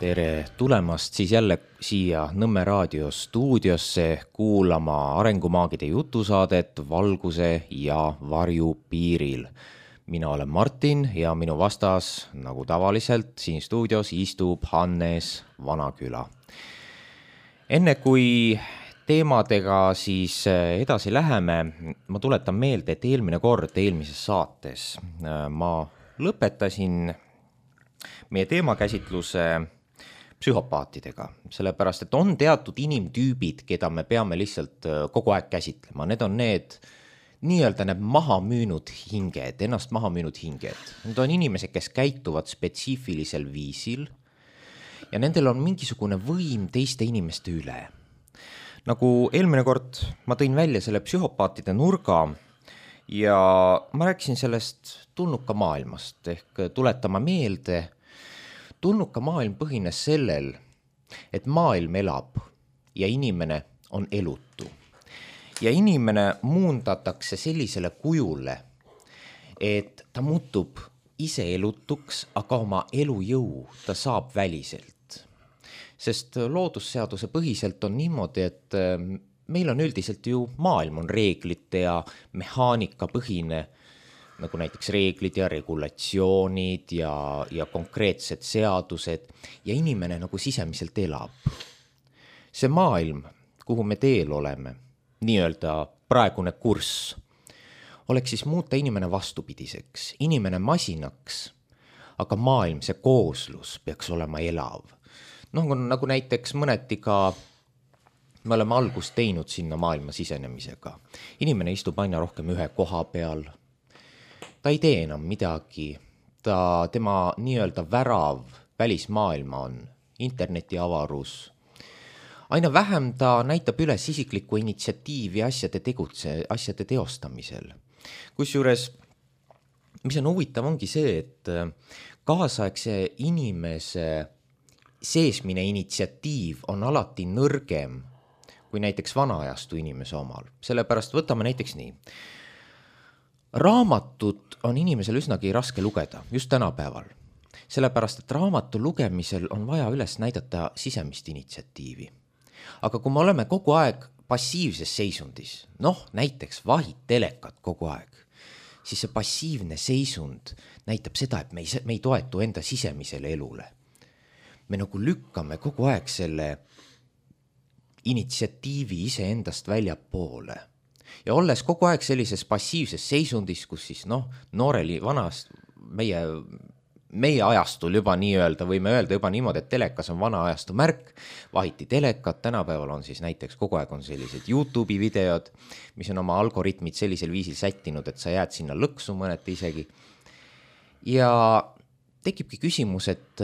Tere tulemast siis jälle siia Nõmme raadio stuudiosse kuulama arengumaagide jutusaadet Valguse ja varju piiril. Mina olen Martin ja minu vastas, nagu tavaliselt, siin stuudios istub Hannes Vanaküla. Enne kui teemadega siis edasi läheme, ma tuletan meelde, et eelmine kord eelmises saates ma lõpetasin meie teemakäsitluse psühhopaatidega, sellepärast, et on teatud inimtüübid, keda me peame lihtsalt kogu aeg käsitlema. Need on need nii-öelda need maha müünud hinged, ennast maha müünud hinged. Need on inimesed, kes käituvad spetsiifilisel viisil ja nendel on mingisugune võim teiste inimeste üle. Nagu eelmine kord ma tõin välja selle psühhopaatide nurga ja ma rääkisin sellest tulnuka maailmast ehk tuletama meelde. Tulnuka maailm põhines sellel, et maailm elab ja inimene on elutu. Ja inimene muundatakse sellisele kujule, et ta muutub ise elutuks, aga oma elujõu ta saab väliselt. Sest loodusseaduse põhiselt on niimoodi, et meil on üldiselt ju maailm on reeglite ja mehaanika põhine, nagu näiteks reeglid ja regulatsioonid ja konkreetsed seadused ja inimene nagu sisemiselt elab. See maailm, kuhu me teel oleme, nii-öelda praegune kurss, oleks siis muuta inimene vastupidiseks, inimene masinaks, aga maailm, see kooslus peaks olema elav. Nagu näiteks mõneti ka me oleme algust teinud sinna maailma sisenemisega. Inimene istub aina rohkem ühe koha peal. Ta ei tee enam midagi, tema nii-öelda värav välismaailma on, interneti avarus. Aina vähem ta näitab üles isiklikku initsiatiivi asjade teostamisel. Kusjuures, mis on huvitav, ongi see, et kaasaegse inimese seesmine initsiatiiv on alati nõrgem kui näiteks vanaajastu inimese omal. Sellepärast võtame näiteks nii. Raamatut on inimesel üsnagi raske lugeda, just tänapäeval. Sellepärast, et raamatu lugemisel on vaja üles näidata sisemist initsiatiivi. Aga kui me oleme kogu aeg passiivses seisundis, näiteks vahid telekat kogu aeg, siis see passiivne seisund näitab seda, et me ei toetu enda sisemisele elule. Me nagu lükkame kogu aeg selle initsiatiivi iseendast väljapoole. Ja olles kogu aeg sellises passiivses seisundis, kus siis nooreli vanast meie ajastul juba nii-öelda, võime öelda juba niimoodi, et telekas on vana ajastu märk, vahiti telekat, tänapäeval on siis näiteks kogu aeg on sellised YouTube'i videod, mis on oma algoritmid sellisel viisil sättinud, et sa jääd sinna lõksu mõneti isegi. Ja tekibki küsimus, et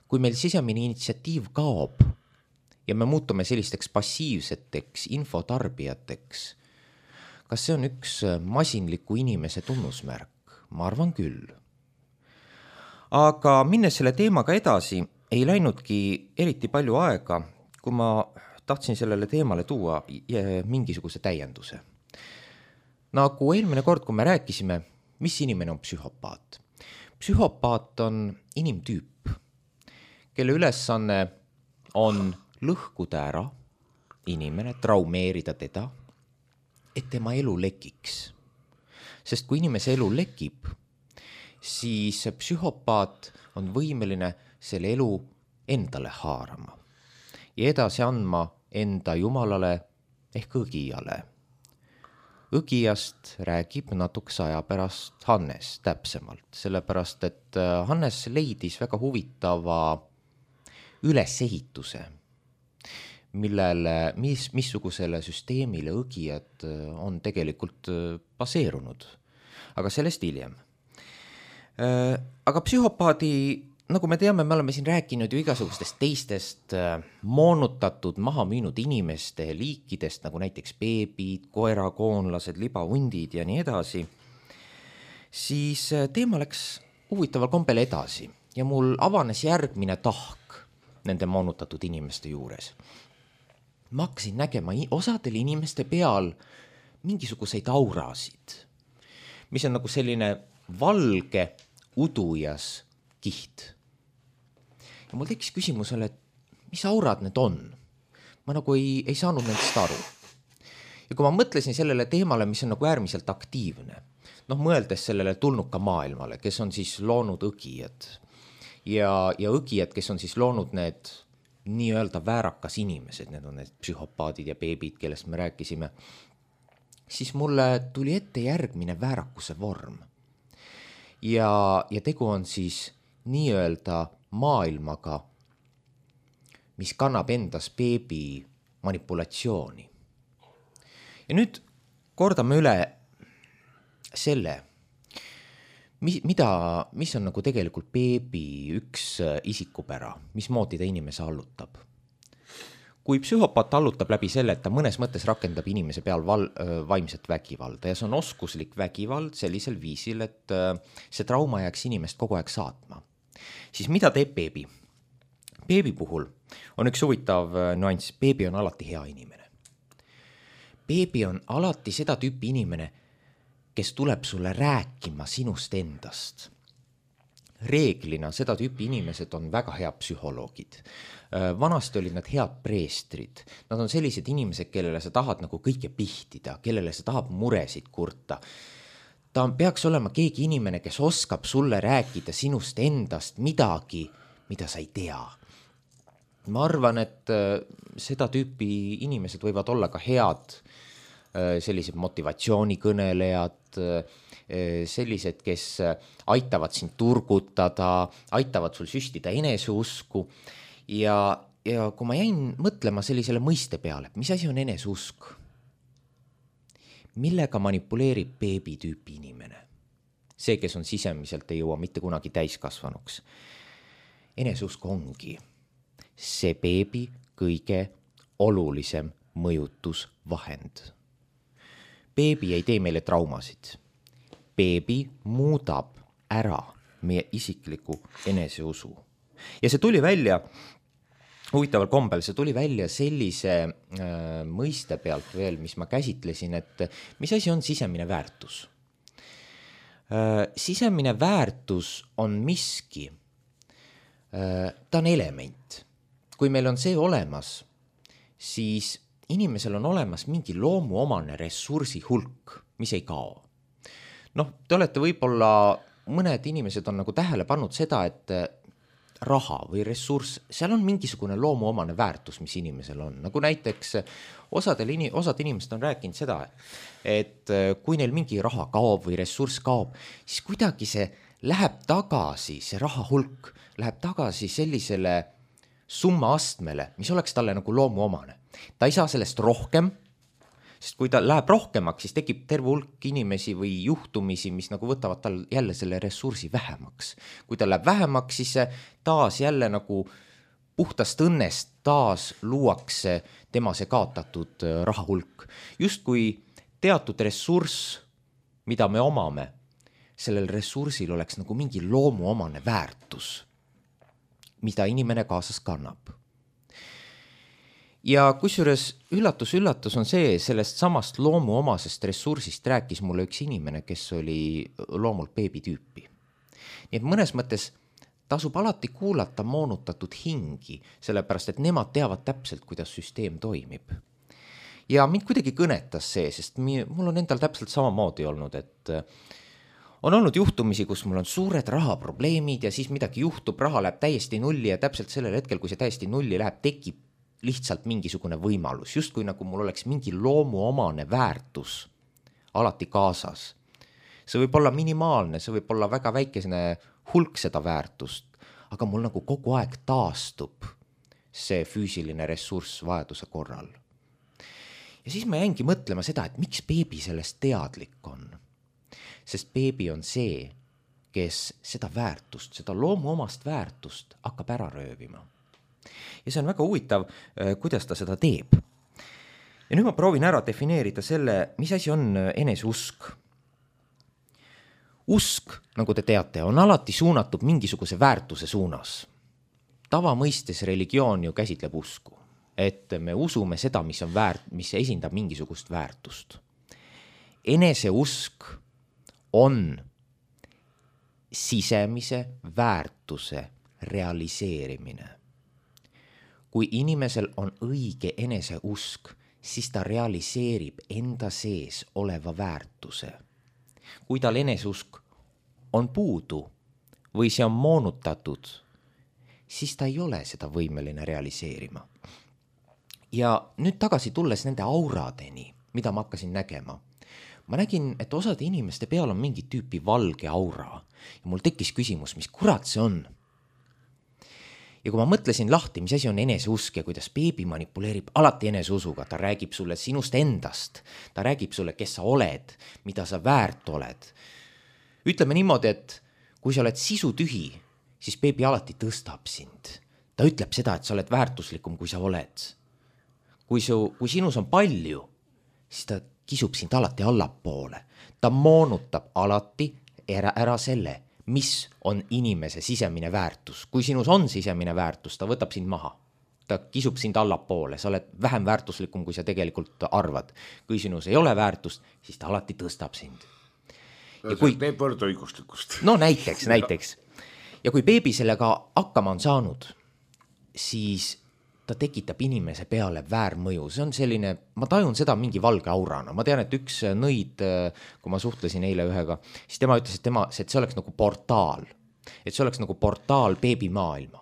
kui meil sisemine initsiatiiv kaob ja me muutume sellisteks passiivseteks infotarbijateks, kas see on üks masinliku inimese tunnusmärk? Ma arvan küll. Aga minnes selle teemaga edasi, ei läinudki eriti palju aega, kui ma tahtsin sellele teemale tuua mingisuguse täienduse. Nagu eelmine kord, kui me rääkisime, mis inimene on psühhopaat? Psühhopaat on inimtüüp, kelle ülesanne on lõhkuda ära inimene, traumeerida teda, et tema elu lekiks. Sest kui inimese elu lekib, siis psühhopaat on võimeline selle elu endale haarama ja edasi andma enda jumalale ehk õgijale. Õgijast räägib natukese aja pärast Hannes täpsemalt, sellepärast et Hannes leidis väga huvitava ülesehituse, missugusele süsteemile õgijad on tegelikult baseerunud. Aga sellest hiljem. Aga psühhopaadi, nagu me teame, me oleme siin rääkinud ju igasugustest teistest moonutatud, maha müünud inimeste liikidest, nagu näiteks beebid, koerakoonlased, libahundid ja nii edasi. Siis teema läks huvitaval kombel edasi ja mul avanes järgmine tahk nende moonutatud inimeste juures. Ma hakkasin nägema osadel inimeste peal mingisuguseid aurasid, mis on nagu selline valge udujas kiht. ja mul tekkis küsimusele, et mis aurad need on? Ma nagu ei saanud nendest aru. Ja kui ma mõtlesin sellele teemale, mis on nagu äärmiselt aktiivne, mõeldes sellele tulnuka maailmale, kes on siis loonud õgijad ja õgijad, kes on siis loonud need nii-öelda väärakas inimesed, need on need psühhopaadid ja beebid, kellest me rääkisime, siis mulle tuli ette järgmine väärakuse vorm. Ja tegu on siis nii-öelda maailmaga, mis kannab endas beebi manipulatsiooni. Ja nüüd kordame üle selle, mis on nagu tegelikult beebi üks isikupära, mismoodi ta inimese allutab. Kui psühhopaat allutab läbi selle, et ta mõnes mõttes rakendab inimese peal vaimset vägivalda ja see on oskuslik vägivald sellisel viisil, et see trauma jääks inimest kogu aeg saatma, siis mida teeb beebi? Beebi puhul on üks huvitav nüanss, beebi on alati hea inimene. Beebi on alati seda tüüpi inimene, kes tuleb sulle rääkima sinust endast. Reeglina seda tüüpi inimesed on väga head psühholoogid. Vanasti olid nad head preestrid. Nad on sellised inimesed, kellele sa tahad nagu kõike pihtida, kellele sa tahab muresid kurta. Ta peaks olema keegi inimene, kes oskab sulle rääkida sinust endast midagi, mida sa ei tea. Ma arvan, et seda tüüpi inimesed võivad olla ka head sellised motivatsioonikõnelejad, sellised, kes aitavad sind turgutada, aitavad sul süstida eneseusku. Ja kui ma jäin mõtlema sellisele mõiste peale, mis asi on eneseusk? Millega manipuleerib beebi tüüpi inimene? See, kes on sisemiselt ei jõua mitte kunagi täiskasvanuks. Eneseusk ongi see beebi kõige olulisem mõjutusvahend. Beebi ei tee meile traumasid. Beebi muudab ära meie isikliku eneseusu. Ja see tuli välja, huvitaval kombel, see tuli välja sellise mõiste pealt veel, mis ma käsitlesin, et mis asi on sisemine väärtus. Sisemine väärtus on miski, ta on element. Kui meil on see olemas, siis inimesel on olemas mingi loomuomane ressursi hulk, mis ei kao. Te olete võib-olla, mõned inimesed on nagu tähele pannud seda, et raha või ressurss, seal on mingisugune loomuomane väärtus, mis inimesel on. Nagu näiteks osad inimesed on rääkinud seda, et kui neil mingi raha kaob või ressurss kaob, siis kuidagi see läheb tagasi, see raha hulk läheb tagasi sellisele summa astmele, mis oleks talle nagu loomuomane. Ta ei saa sellest rohkem, sest kui ta läheb rohkemaks, siis tekib terve hulk inimesi või juhtumisi, mis nagu võtavad tal jälle selle ressursi vähemaks. Kui ta läheb vähemaks, siis taas jälle nagu puhtast õnnest taas luuakse tema see kaotatud raha hulk. Just kui teatud ressurss, mida me omame, sellel ressursil oleks nagu mingi loomuomane väärtus, mida inimene kaasas kannab. Ja kusjuures üllatus on see, sellest samast loomuomasest ressursist rääkis mulle üks inimene, kes oli loomult beebi tüüpi. Nii et mõnes mõttes tasub alati kuulata moonutatud hingi, sellepärast et nemad teavad täpselt, kuidas süsteem toimib. Ja mind kuidagi kõnetas see, sest mul on endal täpselt samamoodi olnud, et on olnud juhtumisi, kus mul on suured rahaprobleemid ja siis midagi juhtub, raha läheb täiesti nulli ja täpselt sellel hetkel, kui see täiesti nulli läheb, tekib lihtsalt mingisugune võimalus, just kui nagu mul oleks mingi loomuomane väärtus alati kaasas. See võib olla minimaalne, see võib olla väga väikesene hulk seda väärtust, aga mul nagu kogu aeg taastub see füüsiline ressurss vajaduse korral. Ja siis ma jäingi mõtlema seda, et miks beebi sellest teadlik on. Sest beebi on see, kes seda väärtust, seda loomuomast väärtust hakkab ära röövima. Ja see on väga huvitav, kuidas ta seda teeb. Ja nüüd ma proovin ära defineerida selle, mis asi on eneseusk. Usk, nagu te teate, on alati suunatud mingisuguse väärtuse suunas. Tavamõistes religioon ju käsitleb usku, et me usume seda, mis esindab mingisugust väärtust. Eneseusk on sisemise väärtuse realiseerimine. Kui inimesel on õige eneseusk, siis ta realiseerib enda sees oleva väärtuse. Kui tal eneseusk on puudu või see on moonutatud, siis ta ei ole seda võimeline realiseerima. Ja nüüd tagasi tulles nende auradeni, mida ma hakkasin nägema. Ma nägin, et osade inimeste peal on mingi tüüpi valge aura ja mul tekkis küsimus, mis kurat see on? Ja kui ma mõtlesin lahti, mis asi on eneseusk ja kuidas beebi manipuleerib alati eneseusuga, ta räägib sulle sinust endast, ta räägib sulle, kes sa oled, mida sa väärt oled. Ütleme niimoodi, et kui sa oled sisutühi, siis beebi alati tõstab sind. Ta ütleb seda, et sa oled väärtuslikum, kui sa oled. Kui sinus on palju, siis ta kisub sind alati allapoole. Ta moonutab alati ära selle, mis on inimese sisemine väärtus. Kui sinus on sisemine väärtus, ta võtab sind maha. Ta kisub sind allapoole, sa oled vähem väärtuslikum, kui sa tegelikult arvad. Kui sinus ei ole väärtust, siis ta alati tõstab sind. Ja kui teeb võrdõiguslikust. No näiteks. Ja kui beebi sellega hakkama on saanud, siis ta tekitab inimese peale väärmõju. See on selline, ma tajun seda mingi valge aurana. Ma tean, et üks nõid, kui ma suhtlesin eile ühega, siis tema ütles, et see oleks nagu portaal. Et see oleks nagu portaal beebi maailma.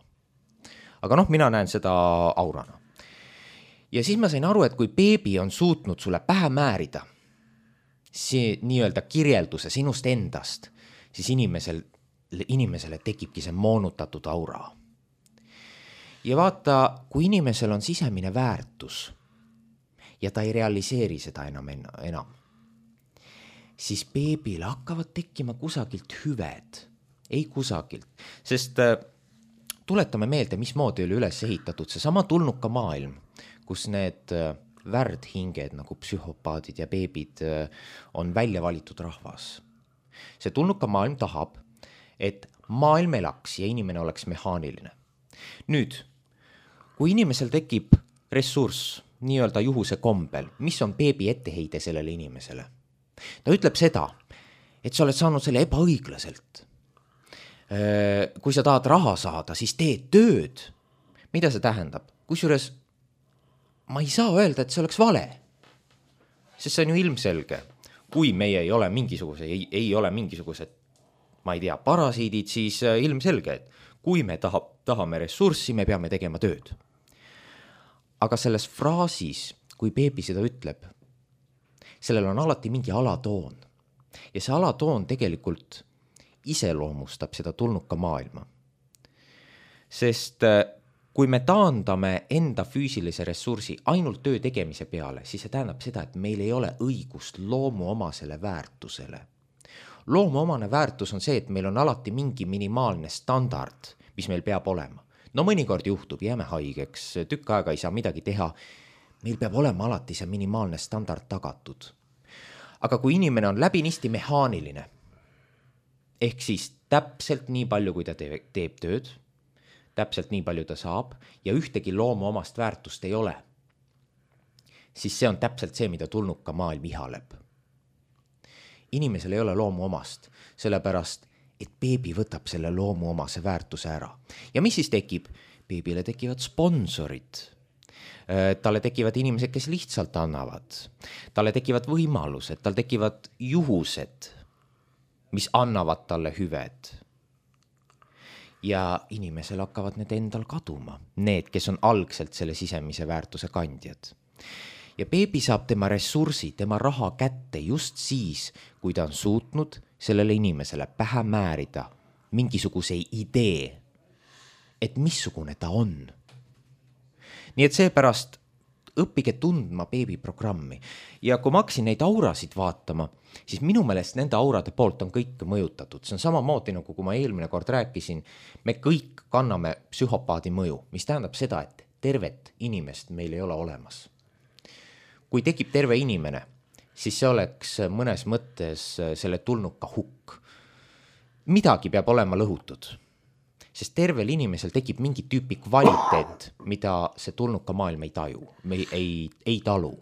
Aga mina näen seda aurana. Ja siis ma sain aru, et kui beebi on suutnud sulle pähe määrida see nii-öelda kirjelduse sinust endast, siis inimesele tekibki see moonutatud aura. Ja vaata, kui inimesel on sisemine väärtus ja ta ei realiseeri seda enam, siis beebile hakkavad tekkima kusagilt hüved. Ei kusagilt, sest tuletame meelde, mismoodi oli üles ehitatud seesama tulnuka maailm, kus need värdhinged nagu psühhopaadid ja beebid on välja valitud rahvas. See tulnuka maailm tahab, et maailm elaks ja inimene oleks mehaaniline. Nüüd, kui inimesel tekib ressurss nii-öelda juhuse kombel, mis on beebi etteheide sellele inimesele? Ta ütleb seda, et sa oled saanud selle ebaõiglaselt. Kui sa tahad raha saada, siis teed tööd. Mida see tähendab? Kusjuures ma ei saa öelda, et see oleks vale. Sest see on ju ilmselge. Kui meie ei ole mingisugused, ma ei tea, parasiidid, siis ilmselge, et kui me tahame ressurssi, me peame tegema tööd. Aga selles fraasis, kui beebi seda ütleb, sellel on alati mingi alatoon. Ja see alatoon tegelikult iseloomustab seda tulnuka maailma. Sest kui me taandame enda füüsilise ressursi ainult töö tegemise peale, siis see tähendab seda, et meil ei ole õigust loomuomasele väärtusele. Loomuomane väärtus on see, et meil on alati mingi minimaalne standard, mis meil peab olema. No mõnikord juhtub, jääme haigeks, tükk aega ei saa midagi teha. Meil peab olema alati see minimaalne standard tagatud. Aga kui inimene on läbinisti mehaaniline, ehk siis täpselt nii palju, kui ta teeb tööd, täpselt nii palju ta saab ja ühtegi loomu omast väärtust ei ole, siis see on täpselt see, mida tulnuka maailm ihaleb. Inimesel ei ole loomu omast, sellepärast, et beebi võtab selle loomu omase väärtuse ära. Ja mis siis tekib? Beebile tekivad sponsorid. Talle tekivad inimesed, kes lihtsalt annavad. Talle tekivad võimalused, tal tekivad juhused, mis annavad talle hüved. Ja inimesel hakkavad need endal kaduma, need, kes on algselt selle sisemise väärtuse kandjad. Ja beebi saab tema ressursi, tema raha kätte just siis, kui ta on suutnud sellele inimesele pähe määrida mingisuguse idee, et missugune ta on. Nii et seepärast õppige tundma beebi programmi. Ja kui ma hakkasin neid aurasid vaatama, siis minu meelest nende aurade poolt on kõik mõjutatud. See on samamoodi, nagu kui ma eelmine kord rääkisin, me kõik kanname psühhopaadi mõju, mis tähendab seda, et tervet inimest meil ei ole olemas. Kui tekib terve inimene, siis see oleks mõnes mõttes selle tulnuka hukk. Midagi peab olema lõhutud, sest tervel inimesel tekib mingi tüüpi kvaliteet, mida see tulnuka maailm ei taju, ei talu.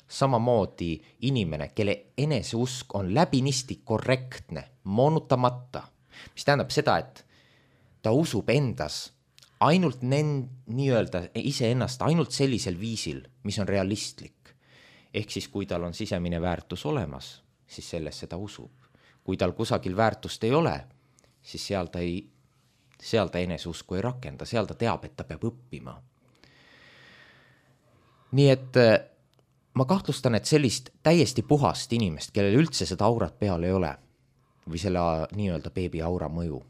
Samamoodi inimene, kelle eneseusk on läbinisti korrektne, moonutamata, mis tähendab seda, et ta usub endas ainult nii-öelda iseennast ainult sellisel viisil, mis on realistlik. Ehk siis, kui tal on sisemine väärtus olemas, siis sellesse ta usub. Kui tal kusagil väärtust ei ole, siis seal ta eneseusku ei rakenda, seal ta teab, et ta peab õppima. Nii et ma kahtlustan, et sellist täiesti puhast inimest, kellel üldse seda aurat peal ei ole, või selle nii-öelda beebi aura mõju,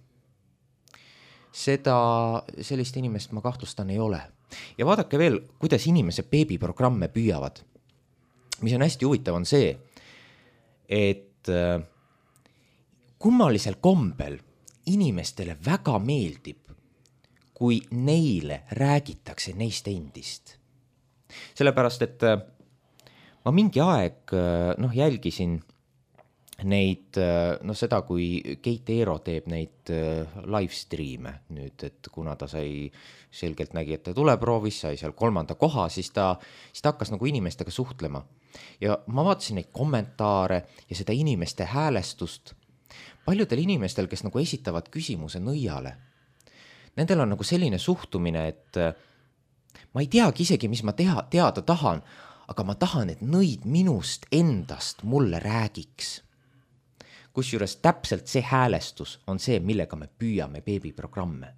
sellist inimest ma kahtlustan ei ole. Ja vaadake veel, kuidas inimesed beebiprogramme püüavad. Mis on hästi huvitav, on see, et kummalisel kombel inimestele väga meeldib, kui neile räägitakse neist endist. Sellepärast, et ma mingi aeg jälgisin neid, seda, kui Keit Eero teeb neid livestreame nüüd, et kuna ta sai selgelt nägi, et ta tuleproovis, sai seal 3. koha, siis ta hakkas nagu inimestega suhtlema. Ja ma vaatasin neid kommentaare ja seda inimeste häälestust. Paljudel inimestel, kes nagu esitavad küsimuse nõiale, nendel on nagu selline suhtumine, et ma ei teagi isegi, mis ma teada tahan, aga ma tahan, et nõid minust endast mulle räägiks. Kusjuures täpselt see häälestus on see, millega me püüame beebiprogramme.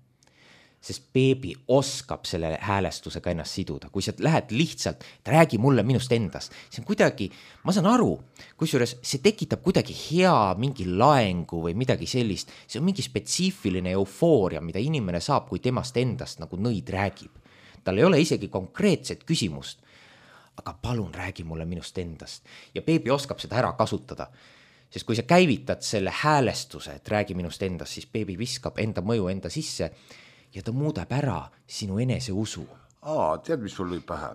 Sest beebi oskab selle häälestusega ennast siduda. Kui sa lähed lihtsalt, et räägi mulle minust endast, see on kuidagi, ma saan aru, kusjuures see tekitab kuidagi hea mingi laengu või midagi sellist. See on mingi spetsiifiline eufooria, mida inimene saab, kui temast endast nagu nõid räägib. Tal ei ole isegi konkreetset küsimust, aga palun räägi mulle minust endast. Ja beebi oskab seda ära kasutada. Sest kui sa käivitad selle häälestuse, et räägi minust endast, siis beebi viskab enda mõju enda sisse ja ta muudab ära sinu eneseusu. Tead, mis sul võib pähe?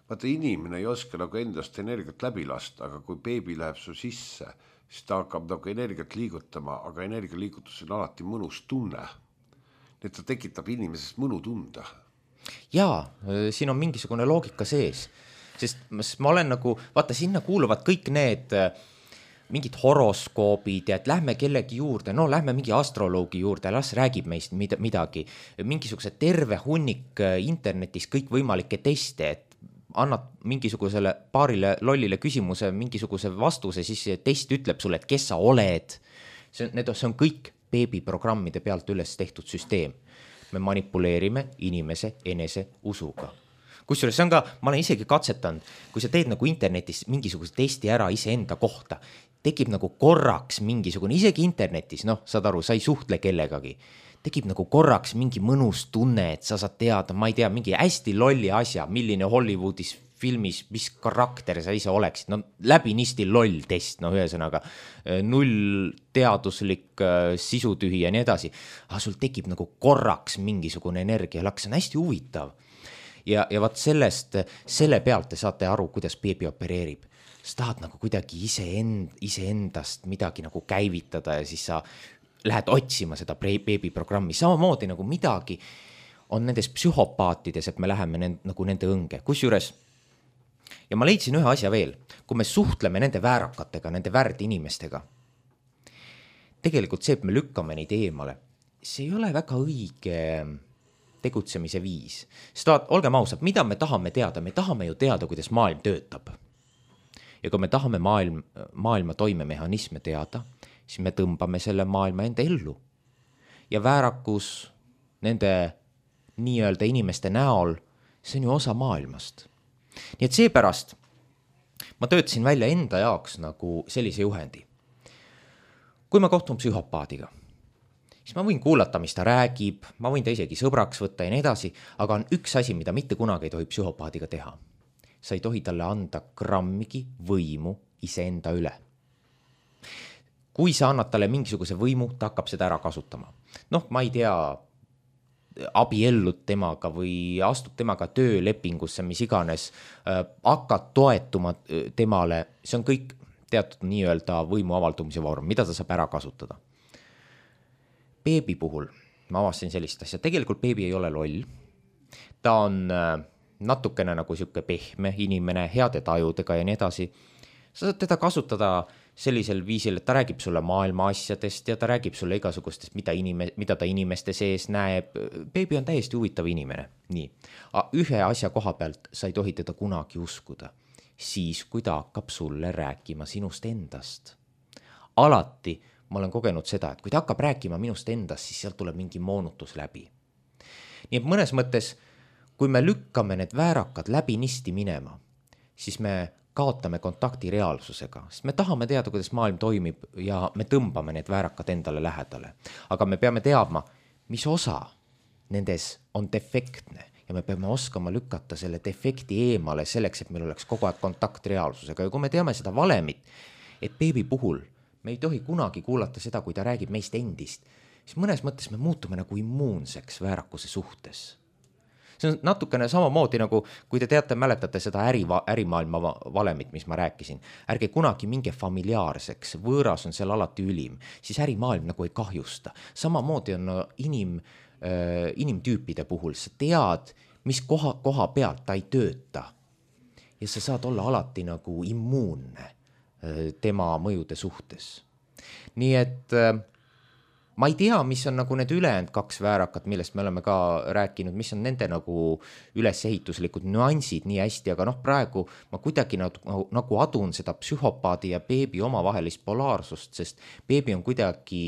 Vaata, inimene ei oska nagu endast energiat läbi lasta, aga kui beebi läheb su sisse, siis ta hakkab nagu energiat liigutama, aga energialiigutus on alati mõnus tunne. Nii et ta tekitab inimesest mõnu tunda. Jaa, siin on mingisugune loogika sees. Sest ma olen nagu, vaata, sinna kuuluvad kõik need mingid horoskoobid ja et lähme kellegi juurde, lähme mingi astroloogi juurde, las räägib meist midagi. Mingisuguse terve hunnik internetis kõik võimalikke teste, et annad mingisugusele paarile lollile küsimuse, mingisuguse vastuse, siis test ütleb sulle, et kes sa oled. See on kõik beebiprogrammide pealt üles tehtud süsteem. Me manipuleerime inimese enese usuga. Kusjuures see on ka, ma olen isegi katsetanud, kui sa teed nagu internetis mingisuguse testi ära iseenda kohta, tekib nagu korraks mingisugune, isegi internetis, saad aru, sa ei suhtle kellegagi, tekib nagu korraks mingi mõnus tunne, et sa saad teada, ma ei tea, mingi hästi lolli asja, milline Hollywoodis filmis, mis karakter sa ise oleksid, läbinisti loll test, ühesõnaga, null teaduslik sisutühi ja nii edasi, aga sul tekib nagu korraks mingisugune energialaks, see on hästi huvitav. Ja vaat selle pealt te saate aru, kuidas beebi opereerib. Sa tahad nagu kuidagi iseendast midagi nagu käivitada ja siis sa lähed otsima seda beebiprogrammi. Samamoodi nagu midagi on nendes psühhopaatides, et me läheme nagu nende õnge. Kusjuures, ja ma leidsin ühe asja veel, kui me suhtleme nende väärakatega, nende värdinimestega, tegelikult see, et me lükkame neid eemale, see ei ole väga õige tegutsemise viis. Sest olgem ausad, mida me tahame teada? Me tahame ju teada, kuidas maailm töötab. Ja kui me tahame maailma toimemehhanisme teada, siis me tõmbame selle maailma enda ellu. Ja väärakus nende nii-öelda inimeste näol, see on ju osa maailmast. Nii et seepärast ma töötasin välja enda jaoks nagu sellise juhendi. Kui ma kohtun psühhopaadiga, siis ma võin kuulata, mis ta räägib, ma võin ta isegi sõbraks võtta ja nii edasi, aga on üks asi, mida mitte kunagi ei tohi psühhopaadiga teha. Sa ei tohi talle anda grammigi võimu iseenda üle. Kui sa annad talle mingisuguse võimu, ta hakkab seda ära kasutama. Ma ei tea, abiellud temaga või astub temaga töölepingusse, mis iganes, hakkad toetuma temale, see on kõik teatud nii-öelda võimu avaldumise vorm, mida ta saab ära kasutada. Beebi puhul ma avastasin sellist asja, tegelikult beebi ei ole loll, ta on natukene nagu siuke pehme inimene, heade tajudega ja nii edasi. Sa saad teda kasutada sellisel viisil, et ta räägib sulle maailma asjadest ja ta räägib sulle igasugustest, mida ta inimeste sees näeb. Beebi on täiesti huvitav inimene, nii. Ühe asja koha pealt sa ei tohi teda kunagi uskuda, siis kui ta hakkab sulle rääkima sinust endast. Alati ma olen kogenud seda, et kui ta hakkab rääkima minust endast, siis sealt tuleb mingi moonutus läbi. Nii et mõnes mõttes, kui me lükkame need väärakad läbi nisti minema, siis me kaotame kontakti reaalsusega, sest me tahame teada, kuidas maailm toimib ja me tõmbame need väärakad endale lähedale. Aga me peame teadma, mis osa nendes on defektne ja me peame oskama lükata selle defekti eemale selleks, et meil oleks kogu aeg kontakt reaalsusega. Ja kui me teame seda valemit, et beebi puhul me ei tohi kunagi kuulata seda, kui ta räägib meist endist, siis mõnes mõttes me muutume nagu immuunseks väärakuse suhtes. See on natukene samamoodi nagu, kui te teate, mäletate seda ärimaailma valemit, mis ma rääkisin. Ärge kunagi minge familiaarseks, võõras on seal alati ülim, siis ärimaailm nagu ei kahjusta. Samamoodi on inimtüüpide puhul, sa tead, mis koha pealt ta ei tööta. Ja sa saad olla alati nagu immuunne tema mõjude suhtes. Nii et ma ei tea, mis on nagu need ülejäänud 2 väärakat, millest me oleme ka rääkinud, mis on nende nagu ülesehituslikud nüansid nii hästi, aga praegu ma kuidagi nagu adun seda psühhopaadi ja beebi omavahelist polaarsust, sest beebi on kuidagi,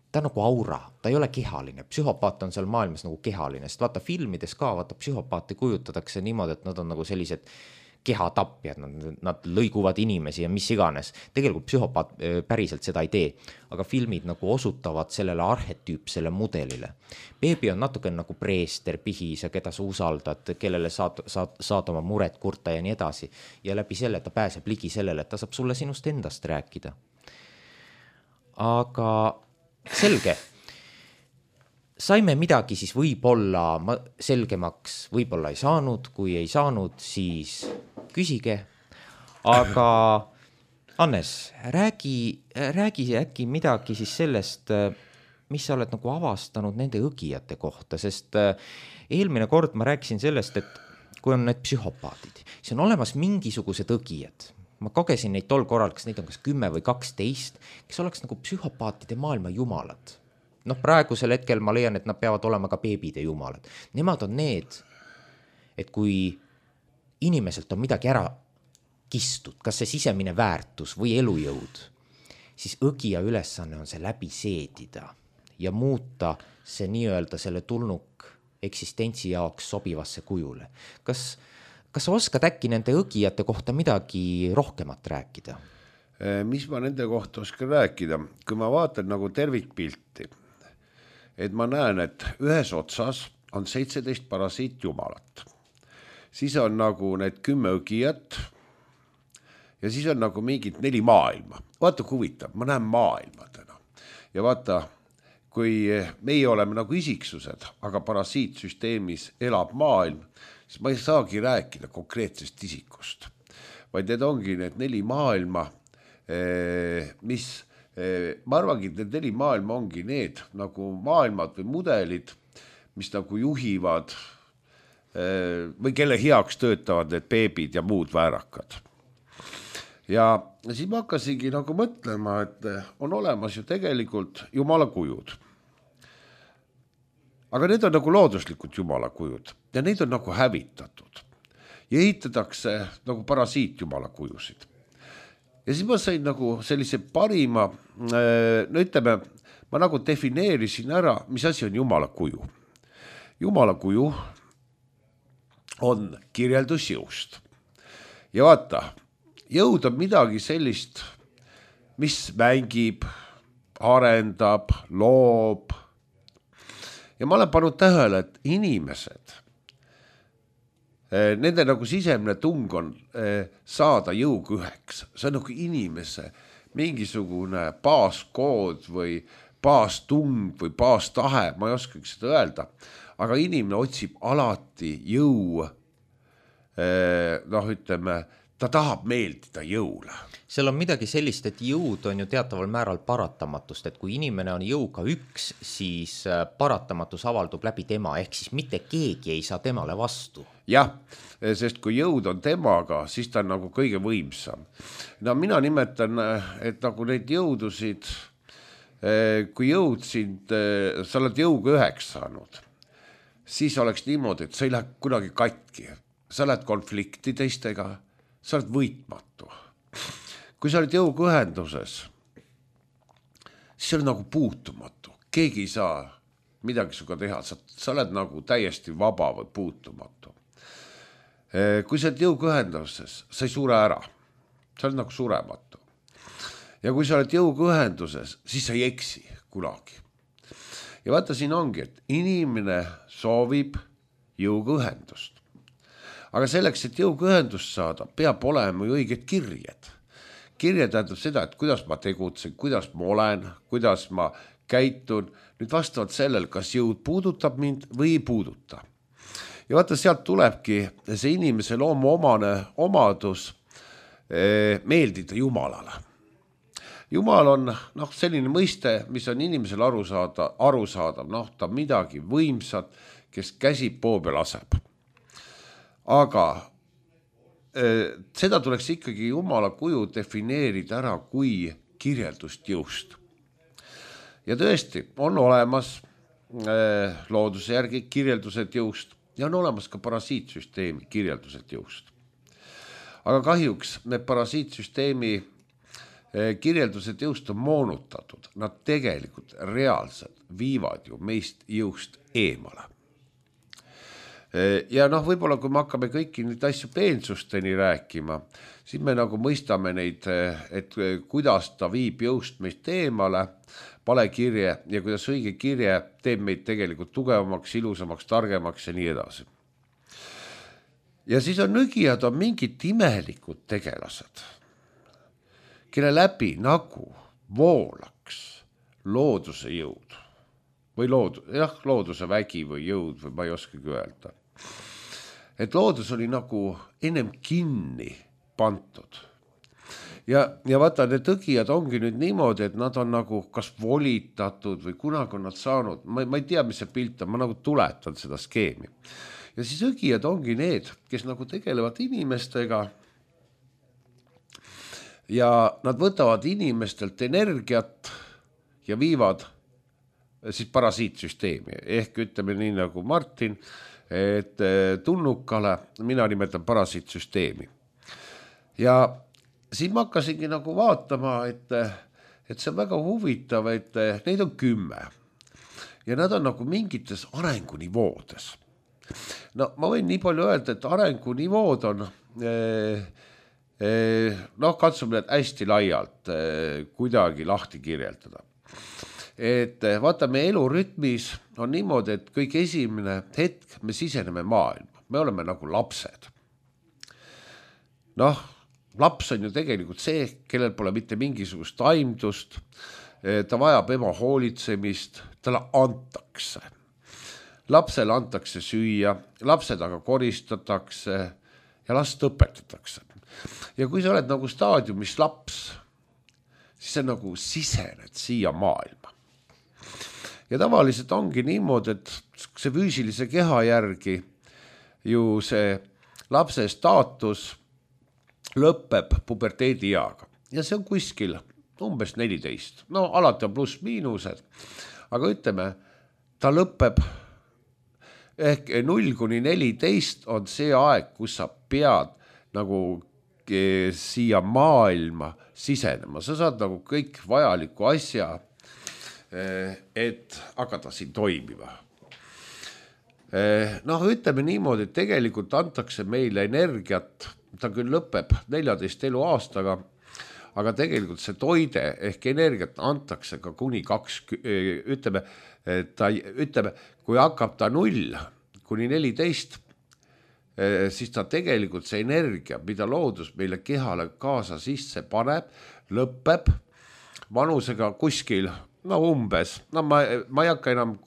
ta on nagu aura, ta ei ole kehaline, psühhopaat on seal maailmas nagu kehaline, sest vaata filmides ka, psühhopaati kujutatakse niimoodi, et nad on nagu sellised kehatapjad, nad lõiguvad inimesi ja mis iganes. Tegelikult psühhopaat päriselt seda ei tee, aga filmid nagu osutavad sellele arhetüüpsele mudelile. Beebi on natuke nagu preester, pihis ja keda sa usaldad, kellele saad oma muret kurta ja nii edasi. Ja läbi selle ta pääseb ligi sellele, et ta saab sulle sinust endast rääkida. Aga selge. Saime midagi siis võib-olla selgemaks, võib-olla ei saanud, kui ei saanud, siis küsige. Aga Hannes, räägi äkki midagi siis sellest, mis sa oled nagu avastanud nende õgijate kohta, sest eelmine kord ma rääkisin sellest, et kui on need psühhopaadid, siis on olemas mingisugused õgijad. Ma kogesin neid tol korral, kas neid on kas 10 või 12, kes oleks nagu psühhopaatide maailma jumalad. Praegusel hetkel ma leian, et nad peavad olema ka beebide jumalad. Nemad on need, et kui inimeselt on midagi ära kistud, kas see sisemine väärtus või elujõud, siis õgija ülesanne on see läbi seedida ja muuta see nii-öelda selle tulnuk eksistentsi jaoks sobivasse kujule. Kas sa oskad äkki nende õgijate kohta midagi rohkemat rääkida? Mis ma nende kohta oskan rääkida? Kui ma vaatan nagu tervikpilti, et ma näen, et ühes otsas on 17 parasiitjumalat. Siis on nagu need 10 õgijat ja siis on nagu mingid 4 maailma. Vaata, kui huvitav, ma näen maailma täna. Ja vaata, kui meie oleme nagu isiksused, aga parasiitsüsteemis elab maailm, siis ma ei saagi rääkida konkreetsest isikust, vaid need ongi need 4 maailma, mis ma arvangi, et need 4 maailma ongi need nagu maailmad või mudelid, mis nagu juhivad või kelle heaks töötavad need beebid ja muud väärakad. Ja siis ma hakkasingi nagu mõtlema, et on olemas ju tegelikult jumala kujud. Aga need on nagu looduslikud jumala kujud ja neid on nagu hävitatud ja ehitatakse nagu parasiitjumala kujusid. Ja siis ma sain nagu sellise parima, no ütleme, ma nagu defineerisin ära, mis asi on jumala kuju. Jumala kuju on kirjeldus jõust. Ja vaata, jõud on midagi sellist, mis mängib, arendab, loob. Ja ma olen pannud tähele, et inimesed, nende nagu sisemine tung on saada jõuküheks. See on nagu inimese mingisugune baaskood või baastung või baastahe, ma ei oskaks seda öelda, aga inimene otsib alati jõu, ütleme, ta tahab meeldida jõule. Seal on midagi sellist, et jõud on ju teataval määral paratamatust, et kui inimene on jõuga 1, siis paratamatus avaldub läbi tema, ehk siis mitte keegi ei saa temale vastu. Jah, sest kui jõud on temaga, siis ta on nagu kõige võimsam. No mina nimetan, et nagu neid jõudusid, kui jõud sind, sa oled jõuga 9 saanud, siis oleks niimoodi, et sa ei lähe kunagi katki. Sa oled konflikti teistega, sa oled võitmatu. Kui sa oled jõuga ühenduses, siis sa oled nagu puutumatu. Keegi ei saa midagi suga teha, sa oled nagu täiesti vaba või puutumatu. Kui sa oled jõuga ühenduses, sa ei sure ära. Sa oled nagu surematu. Ja kui sa oled jõuga ühenduses, siis sa ei eksi kunagi. Ja vaata, siin ongi, et inimene soovib jõuga ühendust. Aga selleks, et jõuga ühendust saada, peab olema ju õiged kirjed. Kirje tähendab seda, et kuidas ma tegutsen, kuidas ma olen, kuidas ma käitun. Nüüd vastavalt sellel, kas jõud puudutab mind või ei puuduta. Ja vaata, sealt tulebki see inimese loomuomane omadus meeldida Jumalale. Jumal on selline mõiste, mis on inimesel arusaadav, ta midagi võimsat, kes käsib poob ja laseb. Aga seda tuleks ikkagi Jumala kuju defineerida ära kui kirjeldust jõust. Ja tõesti, on olemas looduse järgi kirjeldused jõust ja on olemas ka parasiitsüsteemi kirjeldused jõust. Aga kahjuks need parasiitsüsteemi kirjeldused jõust on moonutatud. Nad tegelikult reaalselt viivad ju meist jõust eemale. Ja võib-olla kui me hakkame kõiki neid asju peensusteni rääkima, siis me nagu mõistame neid, et kuidas ta viib jõust meist eemale, palekirje ja kuidas õige kirje teeb meid tegelikult tugevamaks, ilusamaks, targemaks ja nii edasi. Ja siis on nõgijad on mingid imelikud tegelased, kelle läbi nagu voolaks looduse jõud või looduse vägi või jõud või ma ei oskagi öelda. Et loodus oli nagu ennem kinni pantud. Ja vaata, need tõgijad ongi nüüd niimoodi, et nad on nagu kas volitatud või kunagi on nad saanud, ma ei tea, mis see pilt on, ma nagu tuletan seda skeemi. Ja siis õgijad ongi need, kes nagu tegelevad inimestega ja nad võtavad inimestelt energiat ja viivad siis parasiitsüsteemi. Ehk ütleme nii nagu Martin, et tunnukale mina nimetan parasiitsüsteemi. Ja siin ma hakkasingi nagu vaatama, et see on väga huvitav, et neid on 10 ja nad on nagu mingites arengunivoodes. No ma võin nii palju öelda, et arengunivood on katsume need hästi laialt kuidagi lahti kirjeldada. Et vaata, me elurütmis on niimoodi, et kõik esimene hetk me siseneme maailma. Me oleme nagu lapsed. Laps on ju tegelikult see, kellel pole mitte mingisugust aimdust, ta vajab ema hoolitsemist, talle antakse. Lapsele antakse süüa, lapsed aga koristatakse ja last õpetatakse. Ja kui sa oled nagu staadiumis laps, siis sa nagu sisened siia maailma. Ja tavaliselt ongi niimoodi, et see füüsilise keha järgi ju see lapse staatus lõpeb puberteedi eaga. Ja see on kuskil umbes 14. Alati on pluss miinused, aga ütleme, ta lõpeb ehk 0–14 on see aeg, kus sa pead nagu siia maailma sisenema. Sa saad nagu kõik vajaliku asja, et hakata siin toimima. Ütleme niimoodi, et tegelikult antakse meile energiat, ta küll lõpeb 14 eluaastaga, aga tegelikult see toide ehk energiat antakse ka kuni 2, ütleme, kui hakkab ta 0–14, siis ta tegelikult see energia, mida loodus meile kehale kaasa sisse paneb, lõpeb vanusega kuskil, umbes, ma ei hakka enam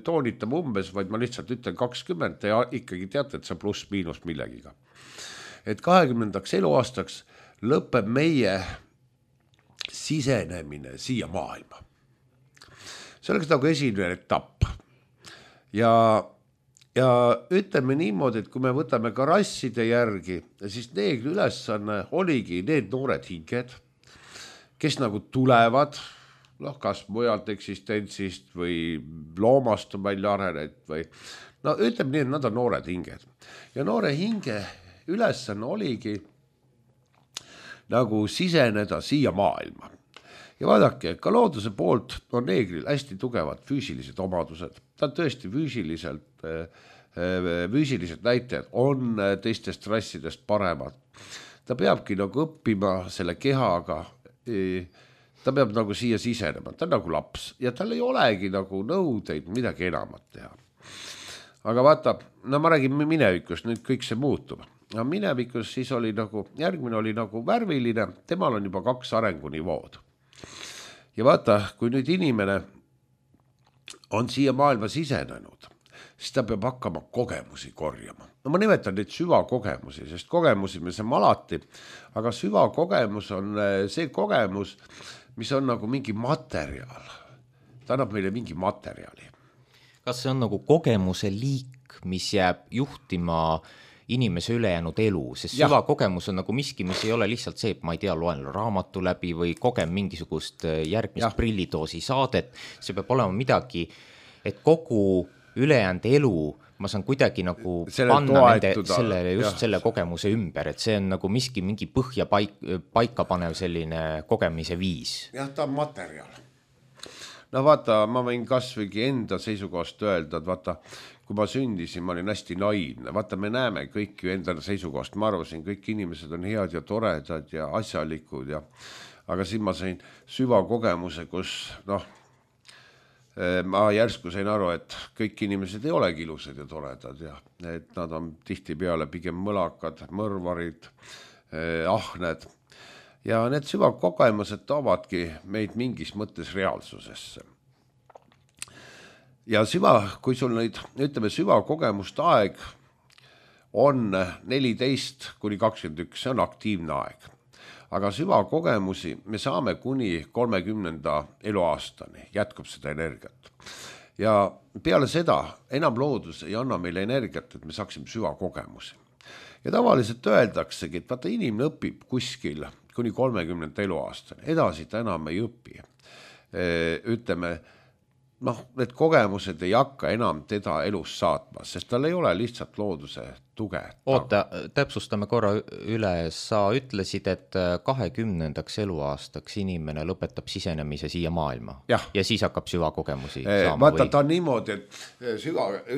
toonitama umbes, vaid ma lihtsalt ütlen 20 ja ikkagi teate, et see pluss miinus millegiga. et 20. eluaastaks lõpeb meie sisenemine siia maailma. See oleks nagu esimene etapp. Ja ütleme niimoodi, et kui me võtame ka rasside järgi, siis neegri ülesanne oligi need noored hinged, kes nagu tulevad, kas mujalt eksistentsist või loomast on välja arenenud või ütleme nii, et nad on noored hinged. Ja noore hinge ülesanne oligi nagu siseneda siia maailma. Ja vaadake, ka looduse poolt on neegril hästi tugevad füüsilised omadused. Ta on tõesti füüsiliselt näitajad on teistest rassidest paremad. Ta peabki nagu õppima selle kehaga, ta peab nagu siia sisenema, ta on nagu laps ja tal ei olegi nagu nõudeid midagi enamat teha. Aga vaata, ma räägin minevikust, nüüd kõik see muutub. Ja minevikus siis oli nagu, järgmine oli nagu värviline, temal on juba 2 arengunivood. Ja vaata, kui nüüd inimene on siia maailma sisenenud, siis ta peab hakkama kogemusi korjama. No ma nimetan neid süvakogemusi, sest kogemusi me saame alati, aga süvakogemus on see kogemus, mis on nagu mingi materjal. Ta annab meile mingi materjali. Kas see on nagu kogemuse liik, mis jääb juhtima inimese ülejäänud elu, sest süvakogemus on nagu miski, mis ei ole lihtsalt see, et ma ei tea, loen raamatu läbi või kogem mingisugust järgmist prillidoosi saadet, see peab olema midagi, et kogu ülejäänud elu ma saan kuidagi nagu panna selle kogemuse ümber, et see on nagu miski mingi põhja paika panev selline kogemise viis. Jah, ta on materjal. No vaata, ma võin kasvõigi enda seisukohast öelda, et vaata, kui ma sündisin, ma olin hästi naiivne. Vaata, me näeme kõik ju enda seisukohast. Ma arvasin, kõik inimesed on head ja toredad ja asjalikud. Aga siin ma sain süvakogemuse, kus ma järsku sain aru, et kõik inimesed ei olegi ilusad ja toredad. Ja et nad on tihtipeale pigem mõlakad, mõrvarid, ahned. Ja need süvakogemused toovadki meid mingis mõttes reaalsusesse. Ja kui sul nüüd, ütleme, süvakogemuste aeg on 14 kuni 21, see on aktiivne aeg. Aga süvakogemusi me saame kuni 30. eluaastani, jätkub seda energiat. Ja peale seda enam loodus ei anna meile energiat, et me saaksime süvakogemusi. Ja tavaliselt öeldaksegi, et vaata, inimene õpib kuskil kuni 30. eluaastani, edasi ta enam ei õpi. Ütleme, need kogemused ei hakka enam teda elus saatma, sest tal ei ole lihtsalt looduse tuge. Oota, täpsustame korra üle, sa ütlesid, et 20. eluaastaks inimene lõpetab sisenemise siia maailma ja siis hakkab süvakogemusi saama. Vaata, ta on niimoodi, et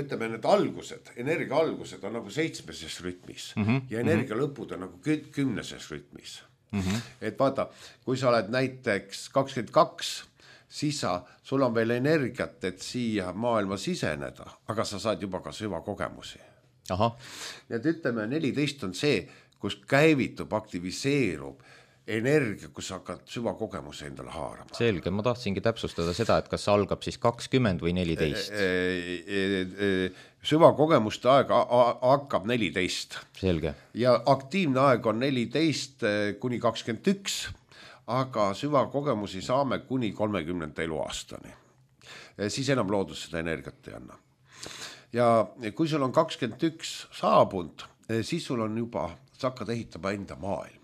ütleme, need algused, energia algused on nagu 7. rütmis ja energia lõpud on nagu 10. rütmis. Et vaata, kui sa oled näiteks 22, siis sul on veel energiat, et siia maailma siseneda, aga sa saad juba ka süvakogemusi. Nii et ütleme, 14 on see, kus käivitub, aktiviseerub energia, kus hakkad süvakogemuse endale haarama. Selge, ma tahtsingi täpsustada seda, et kas algab siis 20 või 14? Süvakogemuste aeg hakkab 14. Selge. Ja aktiivne aeg on 14 kuni 21, aga süvakogemusi saame kuni 30. eluaastani. Siis enam loodus seda energiat ei anna. Ja kui sul on 21 saabunud, siis sul on juba, sa hakkad ehitama enda maailma.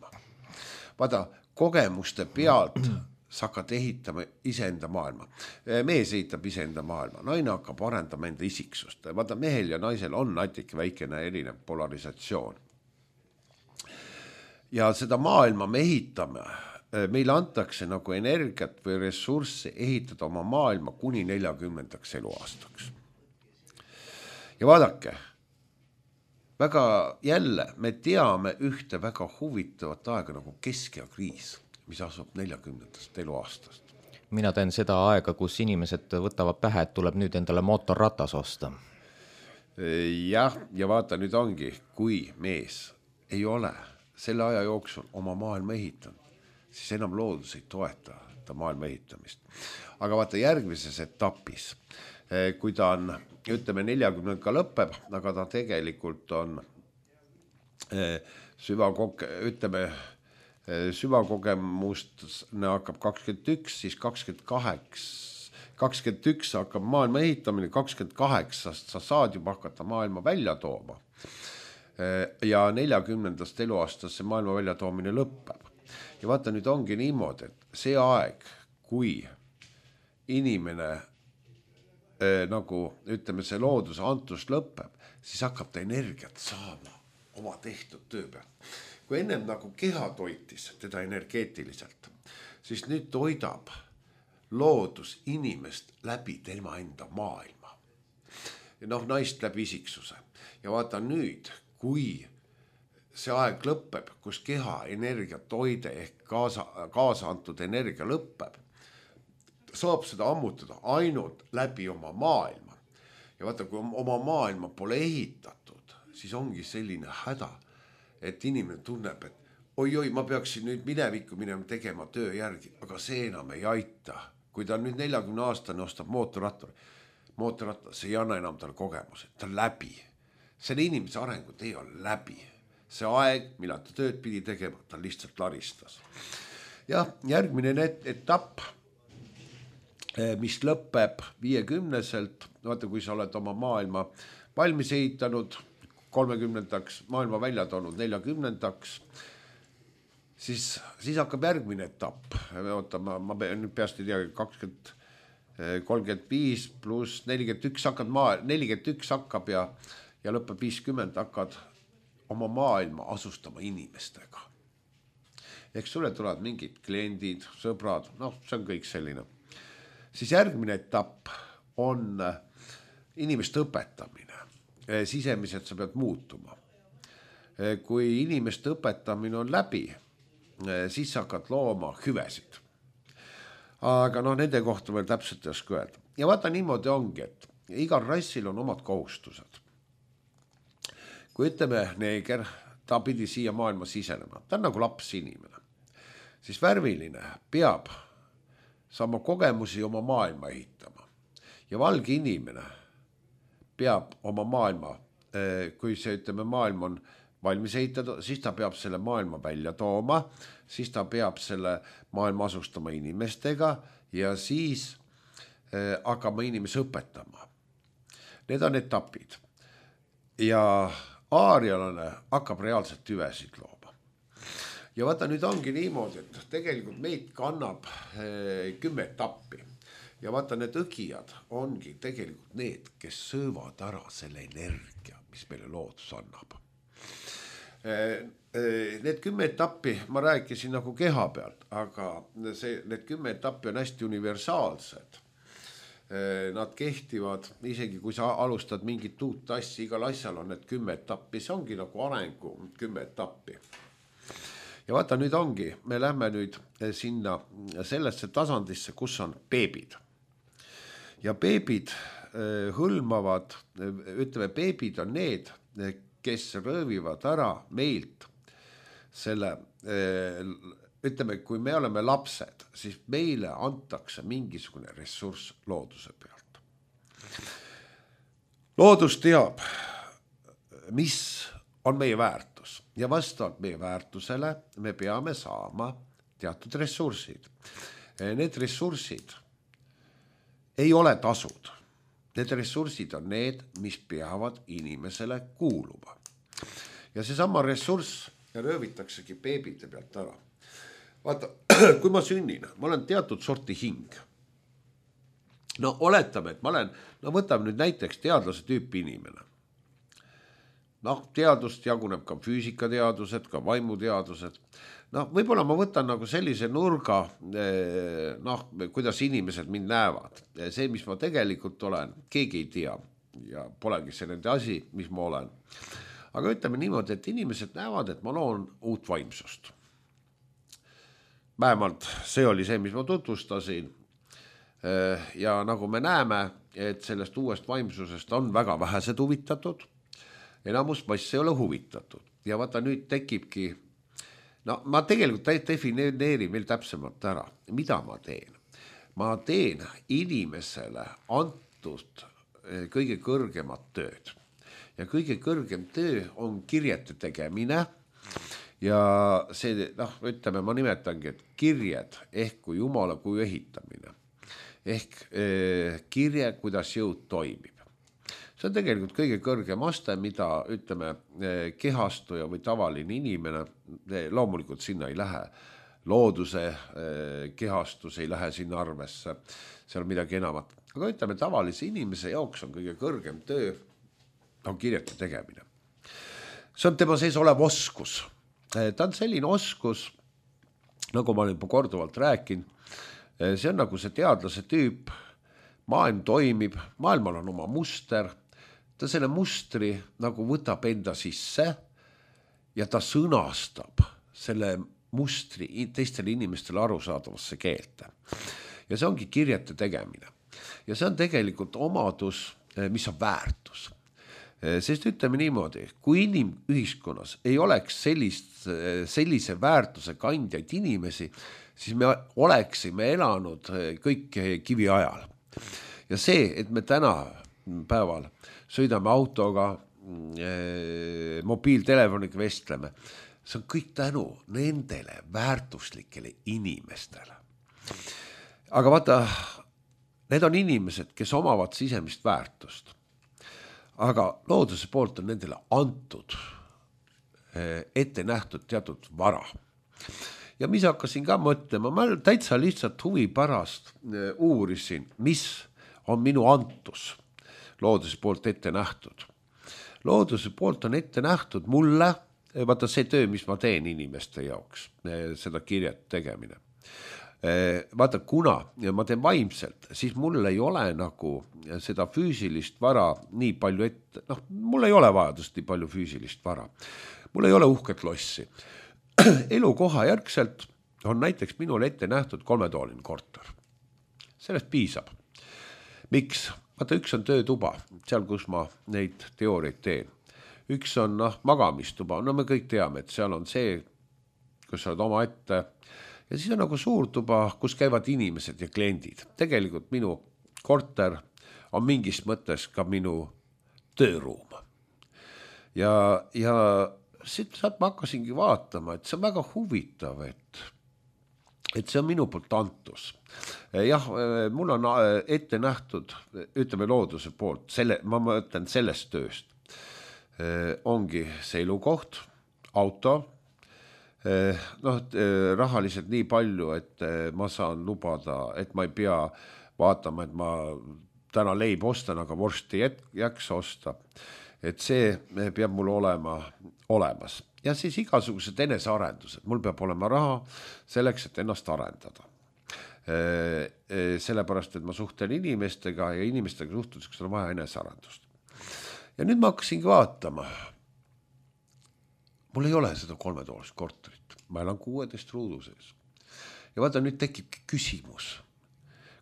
Vaata, kogemuste pealt sa hakkad ehitama iseenda maailma. Mees ehitab iseenda maailma, naine hakkab arendama enda isiksust. Vaata, mehel ja naisel on natuke väikene erinev polarisatsioon. Ja seda maailma me ehitame, meile antakse nagu energiat või ressursse ehitada oma maailma kuni 40. eluaastaks. Ja vaadake, väga jälle me teame ühte väga huvitavat aega nagu keskea kriis, mis asub 40. eluaastast. Mina teen seda aega, kus inimesed võtavad pähe, et tuleb nüüd endale mootorratas osta. Jah, ja vaata, nüüd ongi, kui mees ei ole selle aja jooksul oma maailma ehitanud, siis enam loodus ei toeta ta maailma ehitamist. Aga vaata, järgmises etapis, kui ta on, ütleme, 40 lõpeb, aga ta tegelikult on süvakogemust hakkab 21, siis 21 hakkab maailma ehitamine, 28 sa saad juba hakata maailma välja tooma. Ja 40. eluaastas see maailma väljatoomine lõpeb. Ja vaata, nüüd ongi niimoodi, et see aeg, kui inimene nagu ütleme, see looduse antus lõpeb, siis hakkab ta energiat saama oma tehtud töö pealt. Kui ennem nagu keha toitis teda energeetiliselt, siis nüüd toidab loodus inimest läbi tema enda maailma. Ja naist läbi isiksuse. Ja vaata nüüd, kui see aeg lõpeb, kus keha energia toide ehk kaasa antud energia lõpeb, saab seda ammutada ainult läbi oma maailma. Ja vaata, kui oma maailma pole ehitatud, siis ongi selline häda, et inimene tunneb, et oi, ma peaksin nüüd minevikku minema tegema töö järgi, aga see enam ei aita. Kui ta nüüd 40 aastane ostab mootorratta, see ei anna enam tal kogemuse, ta läbi. Selle inimese arengu tee on läbi. See aeg, millal ta tööd pidi tegema, ta lihtsalt laristas. Ja järgmine etapp, mis lõpeb 50-selt, vaata, kui sa oled oma maailma valmis ehitanud 30-ndaks, maailma välja toonud 40-ndaks, siis hakkab järgmine etapp. Oota, ma nüüd peast ei tea, 35 pluss 41 hakkab ja lõpeb 50, hakkad oma maailma asustama inimestega. Eks sulle tulevad mingid kliendid, sõbrad, see on kõik selline. Siis järgmine etapp on inimeste õpetamine. Sisemiselt sa pead muutuma. Kui inimeste õpetamine on läbi, siis hakkad looma hüvesid. Aga nende kohta veel täpselt ei oska öelda. Ja vaata, niimoodi ongi, et igal rassil on omad kohustused. Kui ütleme neeger, ta pidi siia maailma sisenema, ta on nagu laps inimene, siis värviline peab saama kogemusi oma maailma ehitama. Ja valge inimene peab oma maailma, kui see ütleme maailm on valmis ehitada, siis ta peab selle maailma välja tooma, siis ta peab selle maailma asustama inimestega ja siis hakkama inimesi õpetama. Need on etapid. Ja aarialane hakkab reaalselt hüvesid looma. Ja vaata, nüüd ongi niimoodi, et tegelikult meid kannab 10 etappi. Ja vaata, need õgijad ongi tegelikult need, kes söövad ära selle energia, mis meile loodus annab. Need 10 etappi ma rääkisin nagu keha pealt, aga need 10 etappi on hästi universaalsed. Nad kehtivad, isegi kui sa alustad mingit uut asja, igal asjal on need 10 etappi, see ongi nagu arengu 10 etappi. Ja vaata, nüüd ongi, me lähme nüüd sinna sellesse tasandisse, kus on beebid. Ja beebid hõlmavad, ütleme, beebid on need, kes röövivad ära meilt selle, ütleme, kui me oleme lapsed, siis meile antakse mingisugune ressurss looduse pealt. Loodus teab, mis on meie väärtus ja vastavalt meie väärtusele me peame saama teatud ressursid. Need ressursid ei ole tasud. Need ressursid on need, mis peavad inimesele kuuluma. Ja seesama ressurss röövitaksegi beebide pealt ära. Vaata, kui ma sünnin, ma olen teatud sorti hing. Oletame, et ma olen, võtame nüüd näiteks teadlase tüüpi inimene. Teadust jaguneb ka füüsikateadused, ka vaimuteadused. Võib-olla ma võtan nagu sellise nurga, kuidas inimesed mind näevad. See, mis ma tegelikult olen, keegi ei tea ja polegi see nende asi, mis ma olen. Aga ütleme niimoodi, et inimesed näevad, et ma loon uut vaimsust. Vähemalt see oli see, mis ma tutvustasin. Ja nagu me näeme, et sellest uuest vaimsusest on väga vähesed huvitatud. Enamus mass ei ole huvitatud. Ja vaata, nüüd tekibki, ma tegelikult defineerin veel täpsemalt ära, mida ma teen. Ma teen inimesele antud kõige kõrgemat tööd. ja kõige kõrgem töö on kirjete tegemine ja see, ütleme, ma nimetangi, et kirjed ehk kui Jumala kui ehitamine ehk kirje, kuidas jõud toimib. See on tegelikult kõige kõrgem aste, mida, ütleme, kehastuja või tavaline inimene, loomulikult sinna ei lähe, looduse kehastus ei lähe sinna arvesse, seal on midagi enamat. Aga ütleme, tavalise inimese jaoks on kõige kõrgem töö, on kirjete tegemine. See on tema sees olev oskus. Ta on selline oskus, nagu ma olen juba korduvalt rääkinud, see on nagu see teadlase tüüp, maailm toimib, maailmal on oma muster, ta selle mustri nagu võtab enda sisse ja ta sõnastab selle mustri teistele inimestele arusaadavasse keelte. Ja see ongi kirjete tegemine. Ja see on tegelikult omadus, mis on väärtus. Sest ütleme niimoodi, kui inimühiskonnas ei oleks sellise väärtuse kandjaid inimesi, siis me oleksime elanud kõik kivi ajal. Ja see, et me täna päeval sõidame autoga, mobiiltelefoniga vestleme, see on kõik tänu nendele väärtuslikele inimestele. Aga vaata, need on inimesed, kes omavad sisemist väärtust. Aga looduse poolt on nendele antud, ette nähtud teatud vara. Ja mis hakkasin ka mõtlema, ma täitsa lihtsalt huvi pärast uurisin, mis on minu antus looduse poolt ette nähtud. Looduse poolt on ette nähtud mulle, vaata see töö, mis ma teen inimeste jaoks, seda kirjet tegemine. Vaata, kuna ma teen vaimselt, siis mul ei ole nagu seda füüsilist vara nii palju ette, mul ei ole vajadust nii palju füüsilist vara. Mul ei ole uhket lossi. Elukoha järgselt on näiteks minul ette nähtud 3-toaline korter. Sellest piisab. Miks? Vaata, üks on töötuba, seal kus ma neid teooriaid teen. Üks on magamistuba, me kõik teame, et seal on see, kus sa oled oma ette. Ja siis on nagu suur tuba, kus käivad inimesed ja kliendid. Tegelikult minu korter on mingis mõttes ka minu tööruum. Ja siit ma hakkasingi vaatama, et see on väga huvitav, et see on minu poolt antus. Jah, mul on ette nähtud, ütleme looduse poolt, ma mõtlen sellest tööst. Ongi see elukoht, auto, rahaliselt nii palju, et ma saan lubada, et ma ei pea vaatama, et ma täna leib ostan, aga vorsti jaksa osta. Et see peab mul olema olemas. Ja siis igasugused enesearendused. Mul peab olema raha selleks, et ennast arendada. Sellepärast, et ma suhtlen inimestega ja inimestega suhtluseks on vaja enesearendust. Ja nüüd ma hakkasingi vaatama. Mul ei ole seda 3-toalist korterit. Ma elan 16 ruudu sees. Ja vaata, nüüd tekibki küsimus.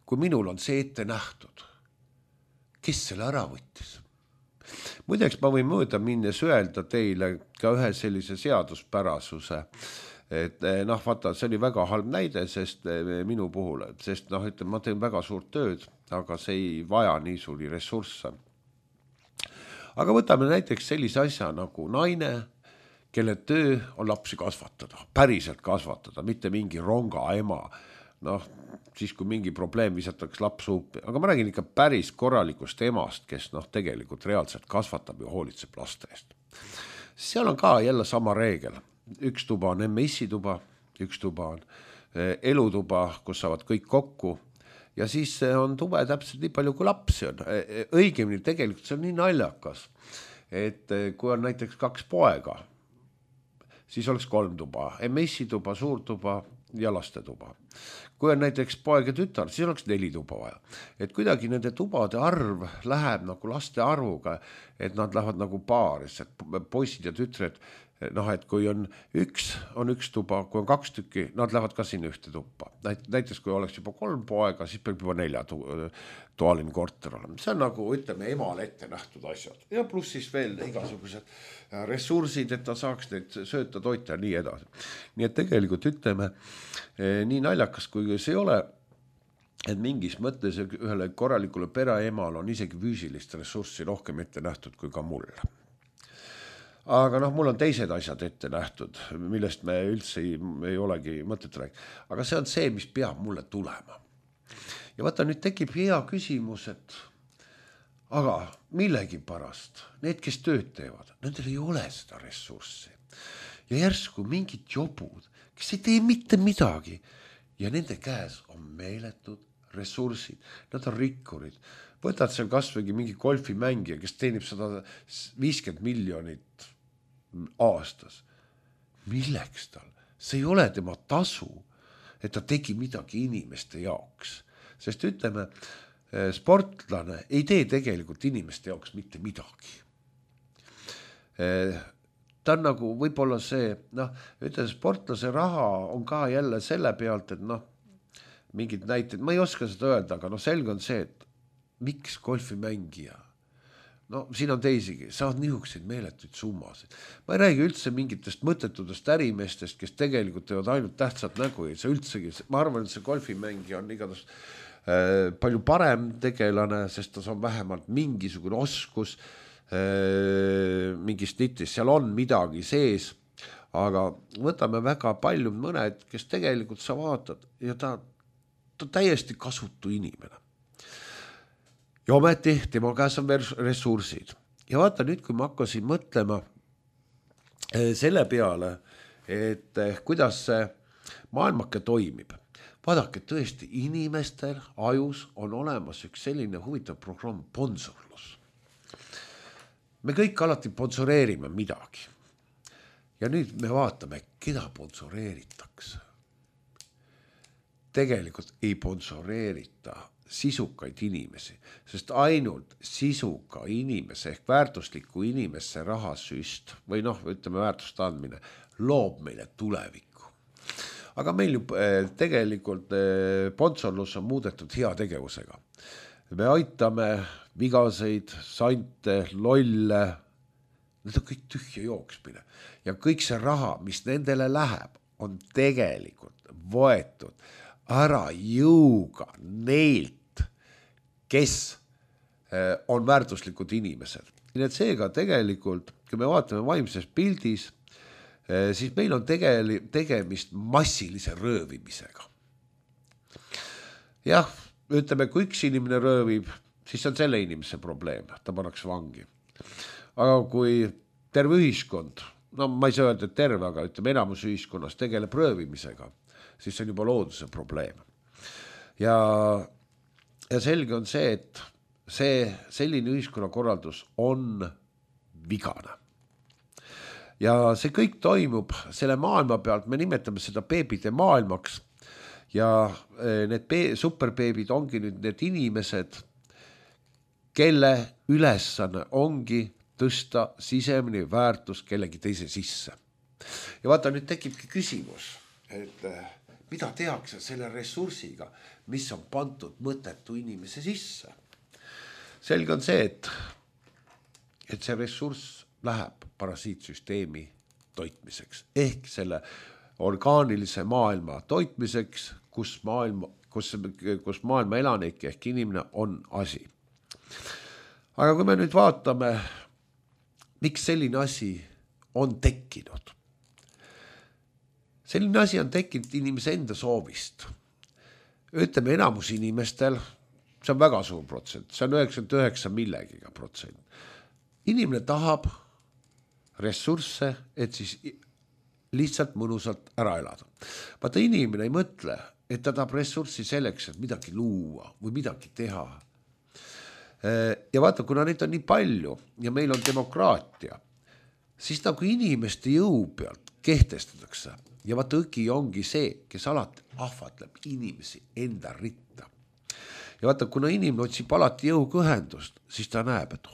Kui minul on see ette nähtud, kes selle ära võttis? Muideks ma võin mööda minnes öelda teile ka ühe sellise seaduspärasuse, et vaata, see oli väga halb näide, sest minu puhul, sest ütleme, ma teen väga suurt tööd, aga see ei vaja nii suuri ressursse. Aga võtame näiteks sellise asja nagu naine, kelle töö on lapsi kasvatada, päriselt kasvatada, mitte mingi ronga ema. Siis kui mingi probleem visatakse laps uppi, aga ma räägin ikka päris korralikust emast, kes tegelikult reaalselt kasvatab ja hoolitseb laste eest. Seal on ka jälle sama reegel. Üks tuba on MES-i tuba, üks tuba on elutuba, kus saavad kõik kokku ja siis on tube täpselt nii palju kui lapsi on. Õigemini tegelikult see on nii naljakas, et kui on näiteks 2 poega, siis oleks 3 tuba, MES-i tuba, suur tuba ja laste tuba. Kui on näiteks poeg ja tütar, siis oleks 4 tuba vaja. Et kuidagi nende tubade arv läheb nagu laste arvuga, et nad lähevad nagu paaris, et poisid ja tütred, et kui on üks tuba, kui on 2 tükki, nad lähevad ka sinna ühte tuppa. Näiteks kui oleks juba 3 poega, siis peab juba 4-toaline korter olema. See on nagu, ütleme, emale ette nähtud asjad. Ja pluss siis veel igasugused ressursid, et ta saaks neid sööta, toita ja nii edasi. Nii et tegelikult ütleme, nii naljakas kui see ei ole, et mingis mõttes ühele korralikule pereemal on isegi füüsilist ressurssi rohkem ette nähtud kui ka mul. aga noh, mul on teised asjad ette nähtud, millest me üldse ei olegi mõtet rääkida. Aga see on see, mis peab mulle tulema. Ja vaata, nüüd tekib hea küsimus, et aga millegipärast need, kes tööd teevad, nendel ei ole seda ressurssi. Ja järsku mingid jobud, kes ei tee mitte midagi ja nende käes on meeletud ressursid, nad on rikkurid. Võtad seal kasvõi mingi golfimängija, kes teenib 150 miljonit aastas. Milleks tal? See ei ole tema tasu, et ta tegi midagi inimeste jaoks. Sest ütleme, sportlane ei tee tegelikult inimeste jaoks mitte midagi. Ta on nagu võib-olla see, ütleme, sportlase raha on ka jälle selle pealt, et mingid näited, ma ei oska seda öelda, aga selge on see, et miks golfimängija? Siin on teisigi, saavad niisugused meeletuid summasid. Ma ei räägi üldse mingitest mõttetudest ärimeestest, kes tegelikult teevad ainult tähtsat nägu ja see üldsegi, ma arvan, et see golfimängija on igatahes palju parem tegelane, sest ta on vähemalt mingisugune oskus mingist nitis, seal on midagi sees, aga võtame väga palju mõned, kes tegelikult sa vaatad ja ta täiesti kasutu inimene. Ja ometi tema käes on ressursid. Ja vaata nüüd, kui ma hakkasin mõtlema selle peale, et kuidas see maailmake toimib. Vaadake, tõesti, inimestel ajus on olemas üks selline huvitav programm, sponsorlus. Me kõik alati sponsoreerime midagi. Ja nüüd me vaatame, keda sponsoreeritakse. Tegelikult ei sponsoreerita sisukaid inimesi, sest ainult sisuka inimese ehk väärtusliku inimesse rahasüst või ütleme väärtust andmine loob meile tulevikku. Aga meil ju tegelikult sponsorlus on muudetud heategevusega. Me aitame vigaseid, sante, lolle, need on kõik tühja jooksmine. Ja kõik see raha, mis nendele läheb, on tegelikult võetud ära jõuga neilt, kes on väärtuslikud inimesed. Nii et seega tegelikult, kui me vaatame vaimses pildis, siis meil on tegemist massilise röövimisega. Jah, ütleme, kui üks inimene röövib, siis on selle inimese probleem, ta pannakse vangi. Aga kui terve ühiskond, ma ei saa öelda, et terve, aga ütleme, enamus ühiskonnas tegeleb röövimisega, siis see on juba looduse probleem. Ja selge on see, et selline ühiskonnakorraldus on vigane. Ja see kõik toimub selle maailma pealt, me nimetame seda beebide maailmaks ja need superbeebid ongi nüüd need inimesed, kelle ülesanne ongi tõsta sisemine väärtus kellegi teise sisse. Ja vaata, nüüd tekibki küsimus, et mida tehakse selle ressursiga, mis on pandud mõttetu inimese sisse. Selge on see, et see ressurss läheb parasiitsüsteemi toitmiseks ehk selle orgaanilise maailma toitmiseks, kus maailma elanik ehk inimene on asi. Aga kui me nüüd vaatame, miks selline asi on tekkinud. Selline asi on tekkinud inimese enda soovist. Ütleme, enamus inimestel, see on väga suur protsent, see on 99 millegiga protsent. Inimene tahab ressursse, et siis lihtsalt mõnusalt ära elada. Vaata, inimene ei mõtle, et ta tahab ressurssi selleks, et midagi luua või midagi teha. Ja vaata, kuna neid on nii palju ja meil on demokraatia, siis nagu inimeste jõu pealt kehtestatakse. Ja vaata, õgi ongi see, kes alati ahvatleb inimesi enda ritta. Ja vaata, kuna inimene otsib alati jõukõhendust, siis ta näeb, et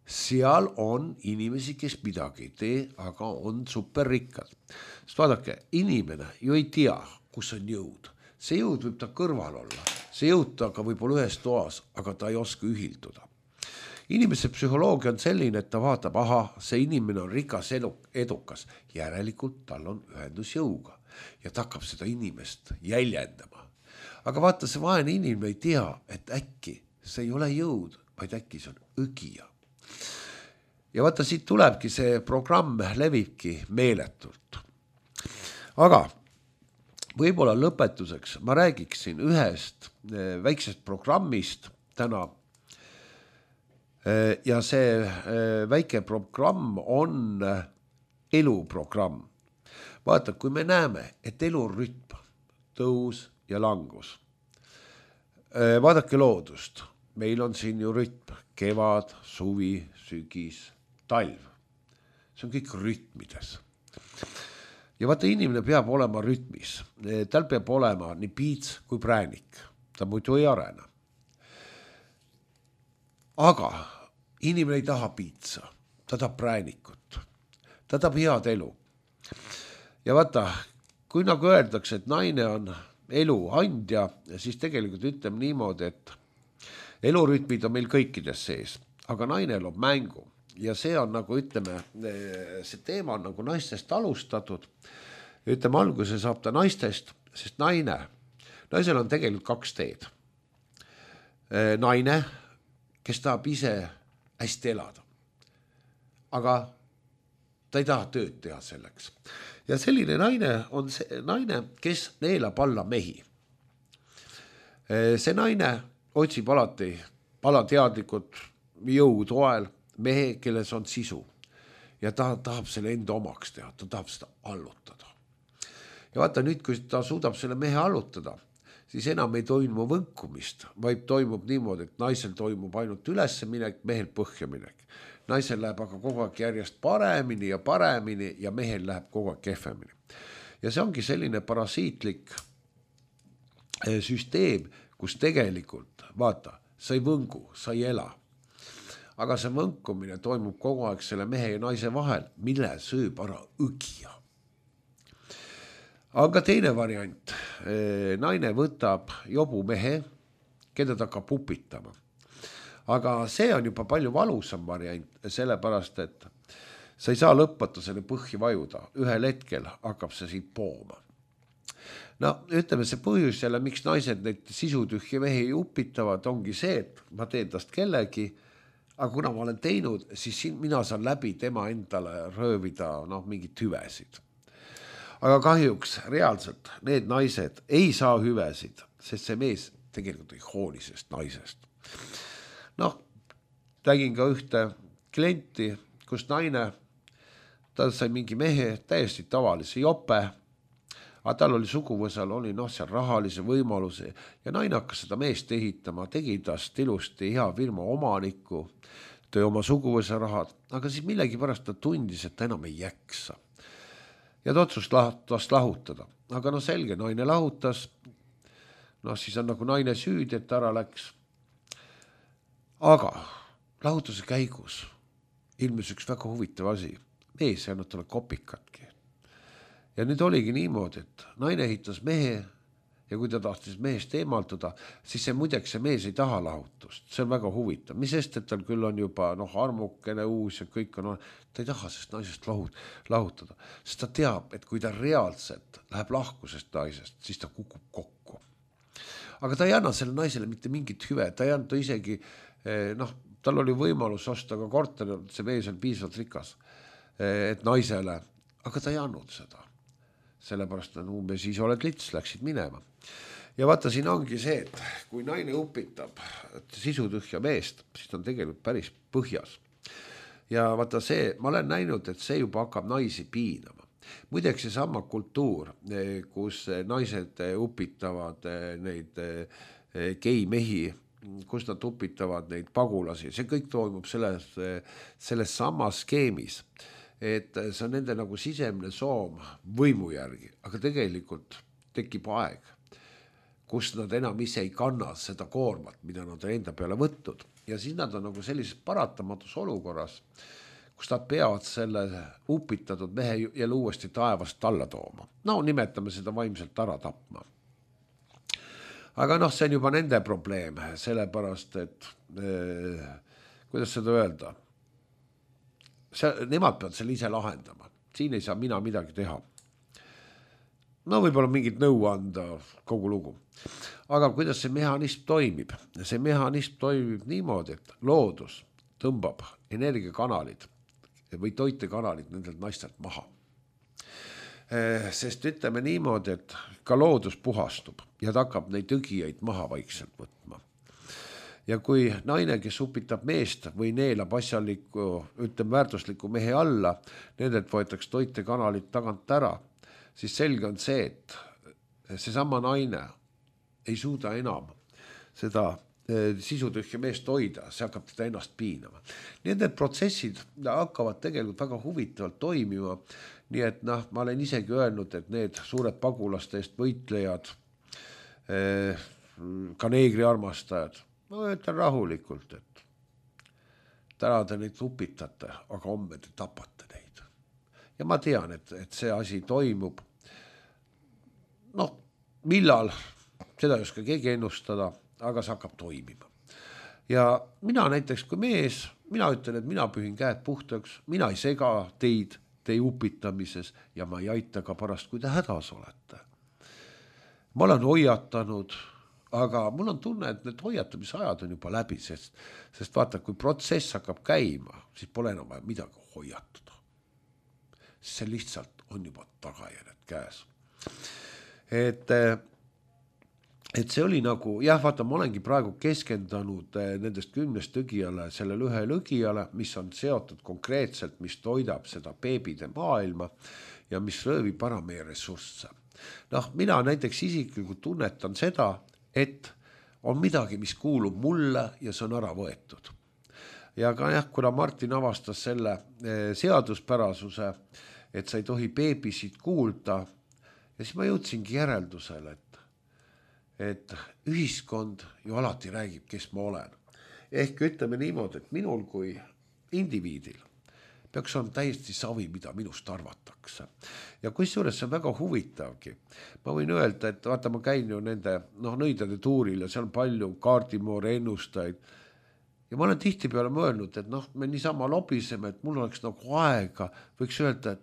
seal on inimesi, kes midagi ei tee, aga on superrikkad. Sest vaadake, inimene ju ei tea, kus on jõud. See jõud võib ta kõrval olla. See jõud ta ka võib-olla ühes toas, aga ta ei oska ühilduda. Inimese psühholoogia on selline, et ta vaatab, see inimene on rikas, edukas. Järelikult tal on ühendus jõuga ja ta hakkab seda inimest jäljendama. Aga vaata, see vaene inimene ei tea, et äkki see ei ole jõud, vaid äkki see on õgija. ja vaata, siit tulebki see programm, levibki meeletult. Aga võib-olla lõpetuseks ma räägiksin ühest väiksest programmist täna. Ja see väike programm on eluprogramm. Vaata, kui me näeme, et elu on rütm, tõus ja langus. Vaadake loodust. Meil on siin ju rütm, kevad, suvi, sügis, talv. See on kõik rütmides. Ja vaata, inimene peab olema rütmis. Tal peab olema nii piits kui präänik. Ta muidu ei arena. Aga inimene ei taha piitsa. Ta tahab präänikut. Ta tahab head elu. Ja vaata, kui nagu öeldakse, et naine on elu andja, siis tegelikult ütleme niimoodi, et elurütmid on meil kõikides sees, aga naine loob mängu. Ja see on nagu, ütleme, see teema on nagu naistest alustatud. Ütleme, alguse saab ta naistest, sest naisel on tegelikult 2 teed. Naine, kes tahab ise hästi elada, aga ta ei taha tööd teha selleks. Ja selline naine on see naine, kes neelab alla mehi. See naine otsib alati alateadlikult jõu toel mehe, kelles on sisu. Ja ta tahab selle enda omaks teha, ta tahab seda allutada. Ja vaata nüüd, kui ta suudab selle mehe allutada, siis enam ei toimu võnkumist, vaid toimub niimoodi, et naisel toimub ainult ülesse minek, mehel põhja minek. Naisel läheb aga kogu aeg järjest paremini ja mehel läheb kogu aeg kehvemini. Ja see ongi selline parasiitlik süsteem, kus tegelikult, vaata, sa ei võngu, sa ei ela. Aga see võnkumine toimub kogu aeg selle mehe ja naise vahel, mille sööb ära õgija. Aga teine variant, naine võtab jobu mehe, keda ta hakkab upitama. Aga see on juba palju valusam variant, sellepärast, et sa ei saa lõpata selle põhja vajuda. Ühel hetkel hakkab see siit pooma. No, ütleme, see põhjus jälle, miks naised neid sisutühja mehi upitavad, ongi see, et ma teen tast kellegi, aga kuna ma olen teinud, siis mina saan läbi tema endale röövida mingit hüvesid. Aga kahjuks reaalselt need naised ei saa hüvesid, sest see mees tegelikult ei hooli sest naisest. Nägin ka ühte klienti, kus naine, ta sai mingi mehe täiesti tavalise jope, aga tal oli suguvõsal, oli seal rahalise võimaluse ja naine hakkas seda meest ehitama, tegi tast ilusti hea firma omaniku, tõi oma suguvõsa rahad, aga siis millegi pärast ta tundis, et ta enam ei jaksa. Ja ta otsustas lahutada. Aga selge, naine lahutas, siis on nagu naine süüd, et ära läks. Aga lahutuse käigus ilmus üks väga huvitav asi. Mees ei andnud talle kopikatki. Ja nüüd oligi niimoodi, et naine ehitas mehe ja kui ta tahtis mehest eemaltuda, siis see mees ei taha lahutust. See on väga huvitav. Mis sest, et tal küll on juba armukene uus ja kõik on, ta ei taha sest naisest lahutada. Sest ta teab, et kui ta reaalselt läheb lahkusest naisest, siis ta kukub kokku. Aga ta ei anna selle naisele mitte mingit hüve, ta ei anda isegi, tal oli võimalus osta ka korter, see mees on piisavalt rikas, et naisele, aga ta ei andnud seda. Sellepärast on umbes siis oled lits, läksid minema. Ja vaata, siin ongi see, et kui naine upitab sisutühja meest, siis ta on tegelikult päris põhjas. Ja vaata see, ma olen näinud, et see juba hakkab naisi piinama. Muideks see sama kultuur, kus naised upitavad neid geimehi, kus nad upitavad neid pagulasi, see kõik toimub selles samas skeemis. Et see on nende nagu sisemne soom võimu järgi, aga tegelikult tekib aeg, kus nad enam ise ei kanna seda koormat, mida nad enda peale võtnud. Ja siis nad on nagu sellises paratamatus olukorras, kus nad peavad selle upitatud mehe jälle uuesti taevast alla tooma. Nimetame seda vaimselt ära tapma. Aga see on juba nende probleem, sellepärast, et kuidas seda öelda? Nemad peavad selle ise lahendama. Siin ei saa mina midagi teha. Võib-olla mingit nõu anda kogu lugu. Aga kuidas see mehhanism toimib? See mehhanism toimib niimoodi, et loodus tõmbab energiakanalid või toitekanalid nendelt naistelt maha. Sest ütleme niimoodi, et ka loodus puhastub ja ta hakkab neid õgijaid maha vaikselt võtma. Ja kui naine, kes upitab meest või neelab asjaliku, ütleme väärtusliku mehe alla, nendelt võetakse toitekanalid tagant ära, siis selge on see, et seesama naine ei suuda enam seda sisutühja meest hoida, see hakkab teda ennast piinama. Need protsessid hakkavad tegelikult väga huvitavalt toimima, nii et ma olen isegi öelnud, et need suured pagulaste eest võitlejad, ka neegri armastajad, ma ütlen rahulikult, et täna te neid upitate, aga homme te tapate neid. Ja ma tean, et see asi toimub. Millal, seda ei oska keegi ennustada, aga see hakkab toimima. Ja mina näiteks kui mees, mina ütlen, et mina pühin käed puhtaks, mina ei sega teid teie upitamises ja ma ei aita ka pärast, kui te hädas olete. Ma olen hoiatanud, aga mul on tunne, et need hoiatamisajad on juba läbi, sest vaata, kui protsess hakkab käima, siis pole enam vaja midagi hoiatada. See lihtsalt on juba tagajärjed käes. Et see oli nagu, vaata, ma olengi praegu keskendanud nendest 10 õgijale, sellele ühele õgijale, mis on seotud konkreetselt, mis toidab seda beebide maailma ja mis röövib ära meie ressursse. Mina näiteks isiklikult tunnetan seda, et on midagi, mis kuulub mulle ja see on ära võetud. Ja ka kuna Martin avastas selle seaduspärasuse, et sa ei tohi beebisid kuulda, ja siis ma jõudsingi järeldusele, et ühiskond ju alati räägib, kes ma olen. Ehk ütleme niimoodi, et minul kui indiviidil peaks on täiesti savi, mida minust arvatakse. Ja kusjuures see on väga huvitavgi. Ma võin öelda, et vaata, ma käin ju nende nõidade tuuril ja seal on palju kaardimoore ennustajaid. Ja ma olen tihtipeale mõelnud, et me niisama lobiseme, et mul oleks nagu aega, võiks öelda, et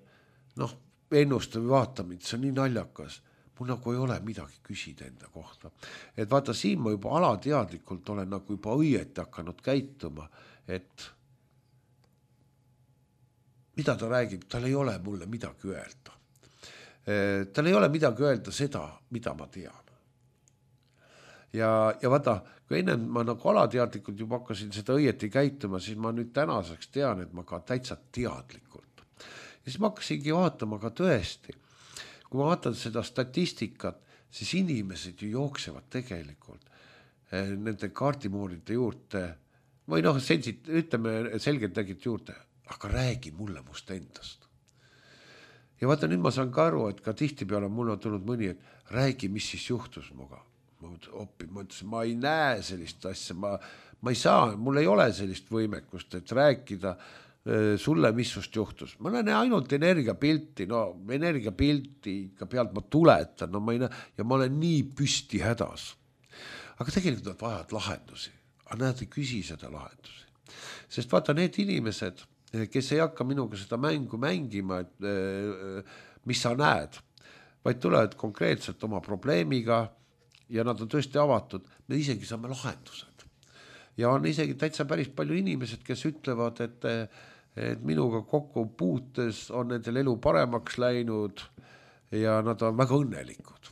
ennusta või vaata mind, see on nii naljakas. Mul nagu ei ole midagi küsida enda kohta. Et vaata, siin ma juba alateadlikult olen nagu juba õieti hakanud käituma, et mida ta räägib, tal ei ole mulle midagi öelda. Tal ei ole midagi öelda seda, mida ma tean. Ja vaata, kui enne ma nagu alateadlikult juba hakkasin seda õieti käituma, siis ma nüüd tänaseks tean, et ma ka täitsa teadlikult. Ja siis ma hakkasingi vaatama ka tõesti. Kui ma vaatan seda statistikat, siis inimesed ju jooksevad tegelikult nende kaardimooride juurde, või ütleme selgelt nägid juurde, aga räägi mulle must endast. Ja vaata, nüüd ma saan ka aru, et ka tihtipeale mul on tulnud mõni, et räägi, mis siis juhtus muga. Ma ütlesin, ma ei näe sellist asja, ma ei saa, mul ei ole sellist võimekust, et rääkida sulle, mis sust juhtus. Ma näen ainult energiapilti, energiapilti ikka pealt ma tuletan, ma ei näe, ja ma olen nii püsti hädas. Aga tegelikult nad vajavad lahendusi, aga nad ei küsi seda lahendusi. Sest vaata, need inimesed, kes ei hakka minuga seda mängu mängima, mis sa näed, vaid tulevad konkreetselt oma probleemiga ja nad on tõesti avatud, me isegi saame lahendused. Ja on isegi täitsa päris palju inimesed, kes ütlevad, et minuga kokku puutes on nendel elu paremaks läinud ja nad on väga õnnelikud.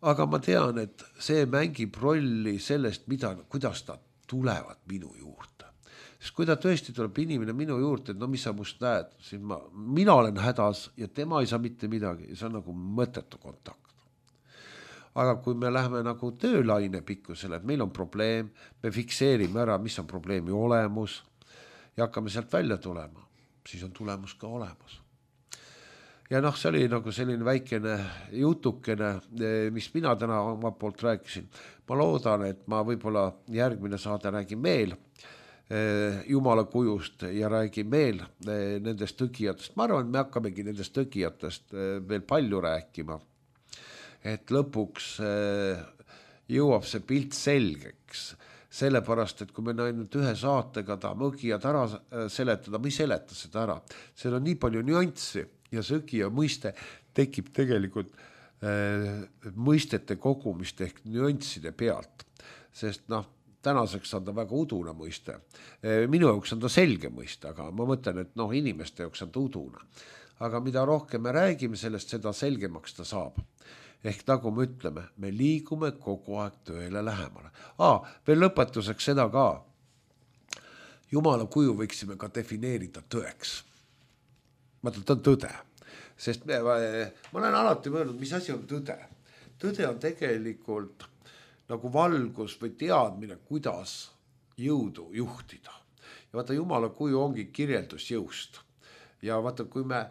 Aga ma tean, et see mängib rolli sellest, kuidas nad tulevad minu juurde. Sest kui ta tõesti tuleb inimene minu juurde, et mis sa must näed, siis mina olen hädas ja tema ei saa mitte midagi ja see on nagu mõttetu kontakt. Aga kui me läheme nagu töölaine pikkusele, et meil on probleem, me fikseerime ära, mis on probleemi olemus ja hakkame sealt välja tulema, siis on tulemus ka olemas. Ja see oli nagu selline väikene jutukene, mis mina täna oma poolt rääkisin. Ma loodan, et ma võib-olla järgmine saade räägin veel Jumala kujust ja räägin veel nendest tõgijatest. Ma arvan, et me hakkamegi nendest tõgijatest veel palju rääkima. Et lõpuks jõuab see pilt selgeks, sellepärast, et kui me ainult ühe saatega tahame õgijad ära seletada, me ei seleta seda ära. Seal on nii palju nüanssi ja see õgija mõiste tekib tegelikult mõistete kogumist ehk nüansside pealt. Sest tänaseks on ta väga udune mõiste. Minu jaoks on ta selge mõiste, aga ma mõtlen, et inimeste jaoks on ta udune. Aga mida rohkem me räägime sellest, seda selgemaks ta saab. Ehk nagu me ütleme, me liigume kogu aeg tõele lähemale. Veel lõpetuseks seda ka. Jumala kuju võiksime ka defineerida tõeks. Ma ütlen, ta on tõde. Sest ma olen alati mõelnud, mis asi on tõde. Tõde on tegelikult nagu valgus või teadmine, kuidas jõudu juhtida. Ja vaata, Jumala kuju ongi kirjeldus jõust. Ja vaata, kui me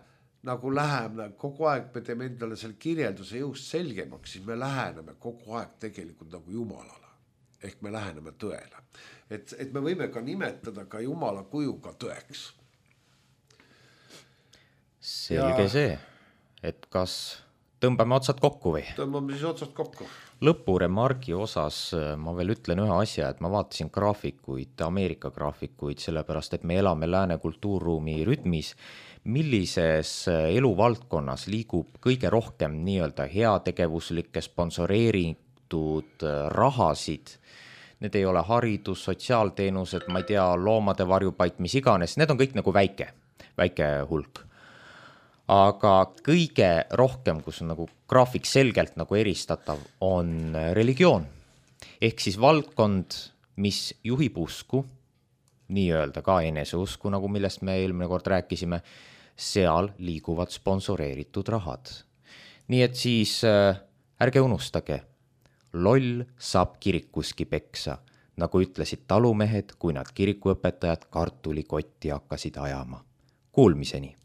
nagu läheme kogu aeg, me teeme endale selle kirjelduse jõust selgemaks, siis me läheneme kogu aeg tegelikult nagu Jumalale. Ehk me läheneme tõele. Et me võime ka nimetada ka Jumala kujuga tõeks. Selge see, et kas tõmbame otsad kokku või? Tõmbame siis otsad kokku. Lõpuremargi osas ma veel ütlen ühe asja, et ma vaatasin graafikuid, Ameerika graafikuid, sellepärast, et me elame lääne kultuurruumi rütmis, millises eluvaldkonnas liigub kõige rohkem nii-öelda heategevuslikke sponsoreeritud rahasid. Need ei ole haridus, sotsiaalteenused, ma ei tea, loomade varjupaik, mis iganes, need on kõik nagu väike hulk. Aga kõige rohkem, kus on nagu graafik selgelt nagu eristatav, on religioon. Ehk siis valdkond, mis juhib usku, nii-öelda ka eneseusku, nagu millest me eelmine kord rääkisime, seal liiguvad sponsoreeritud rahad. Nii et siis ärge unustage, loll saab kirikuski peksa, nagu ütlesid talumehed, kui nad kirikuõpetajad kartulikotti hakkasid ajama. Kuulmiseni!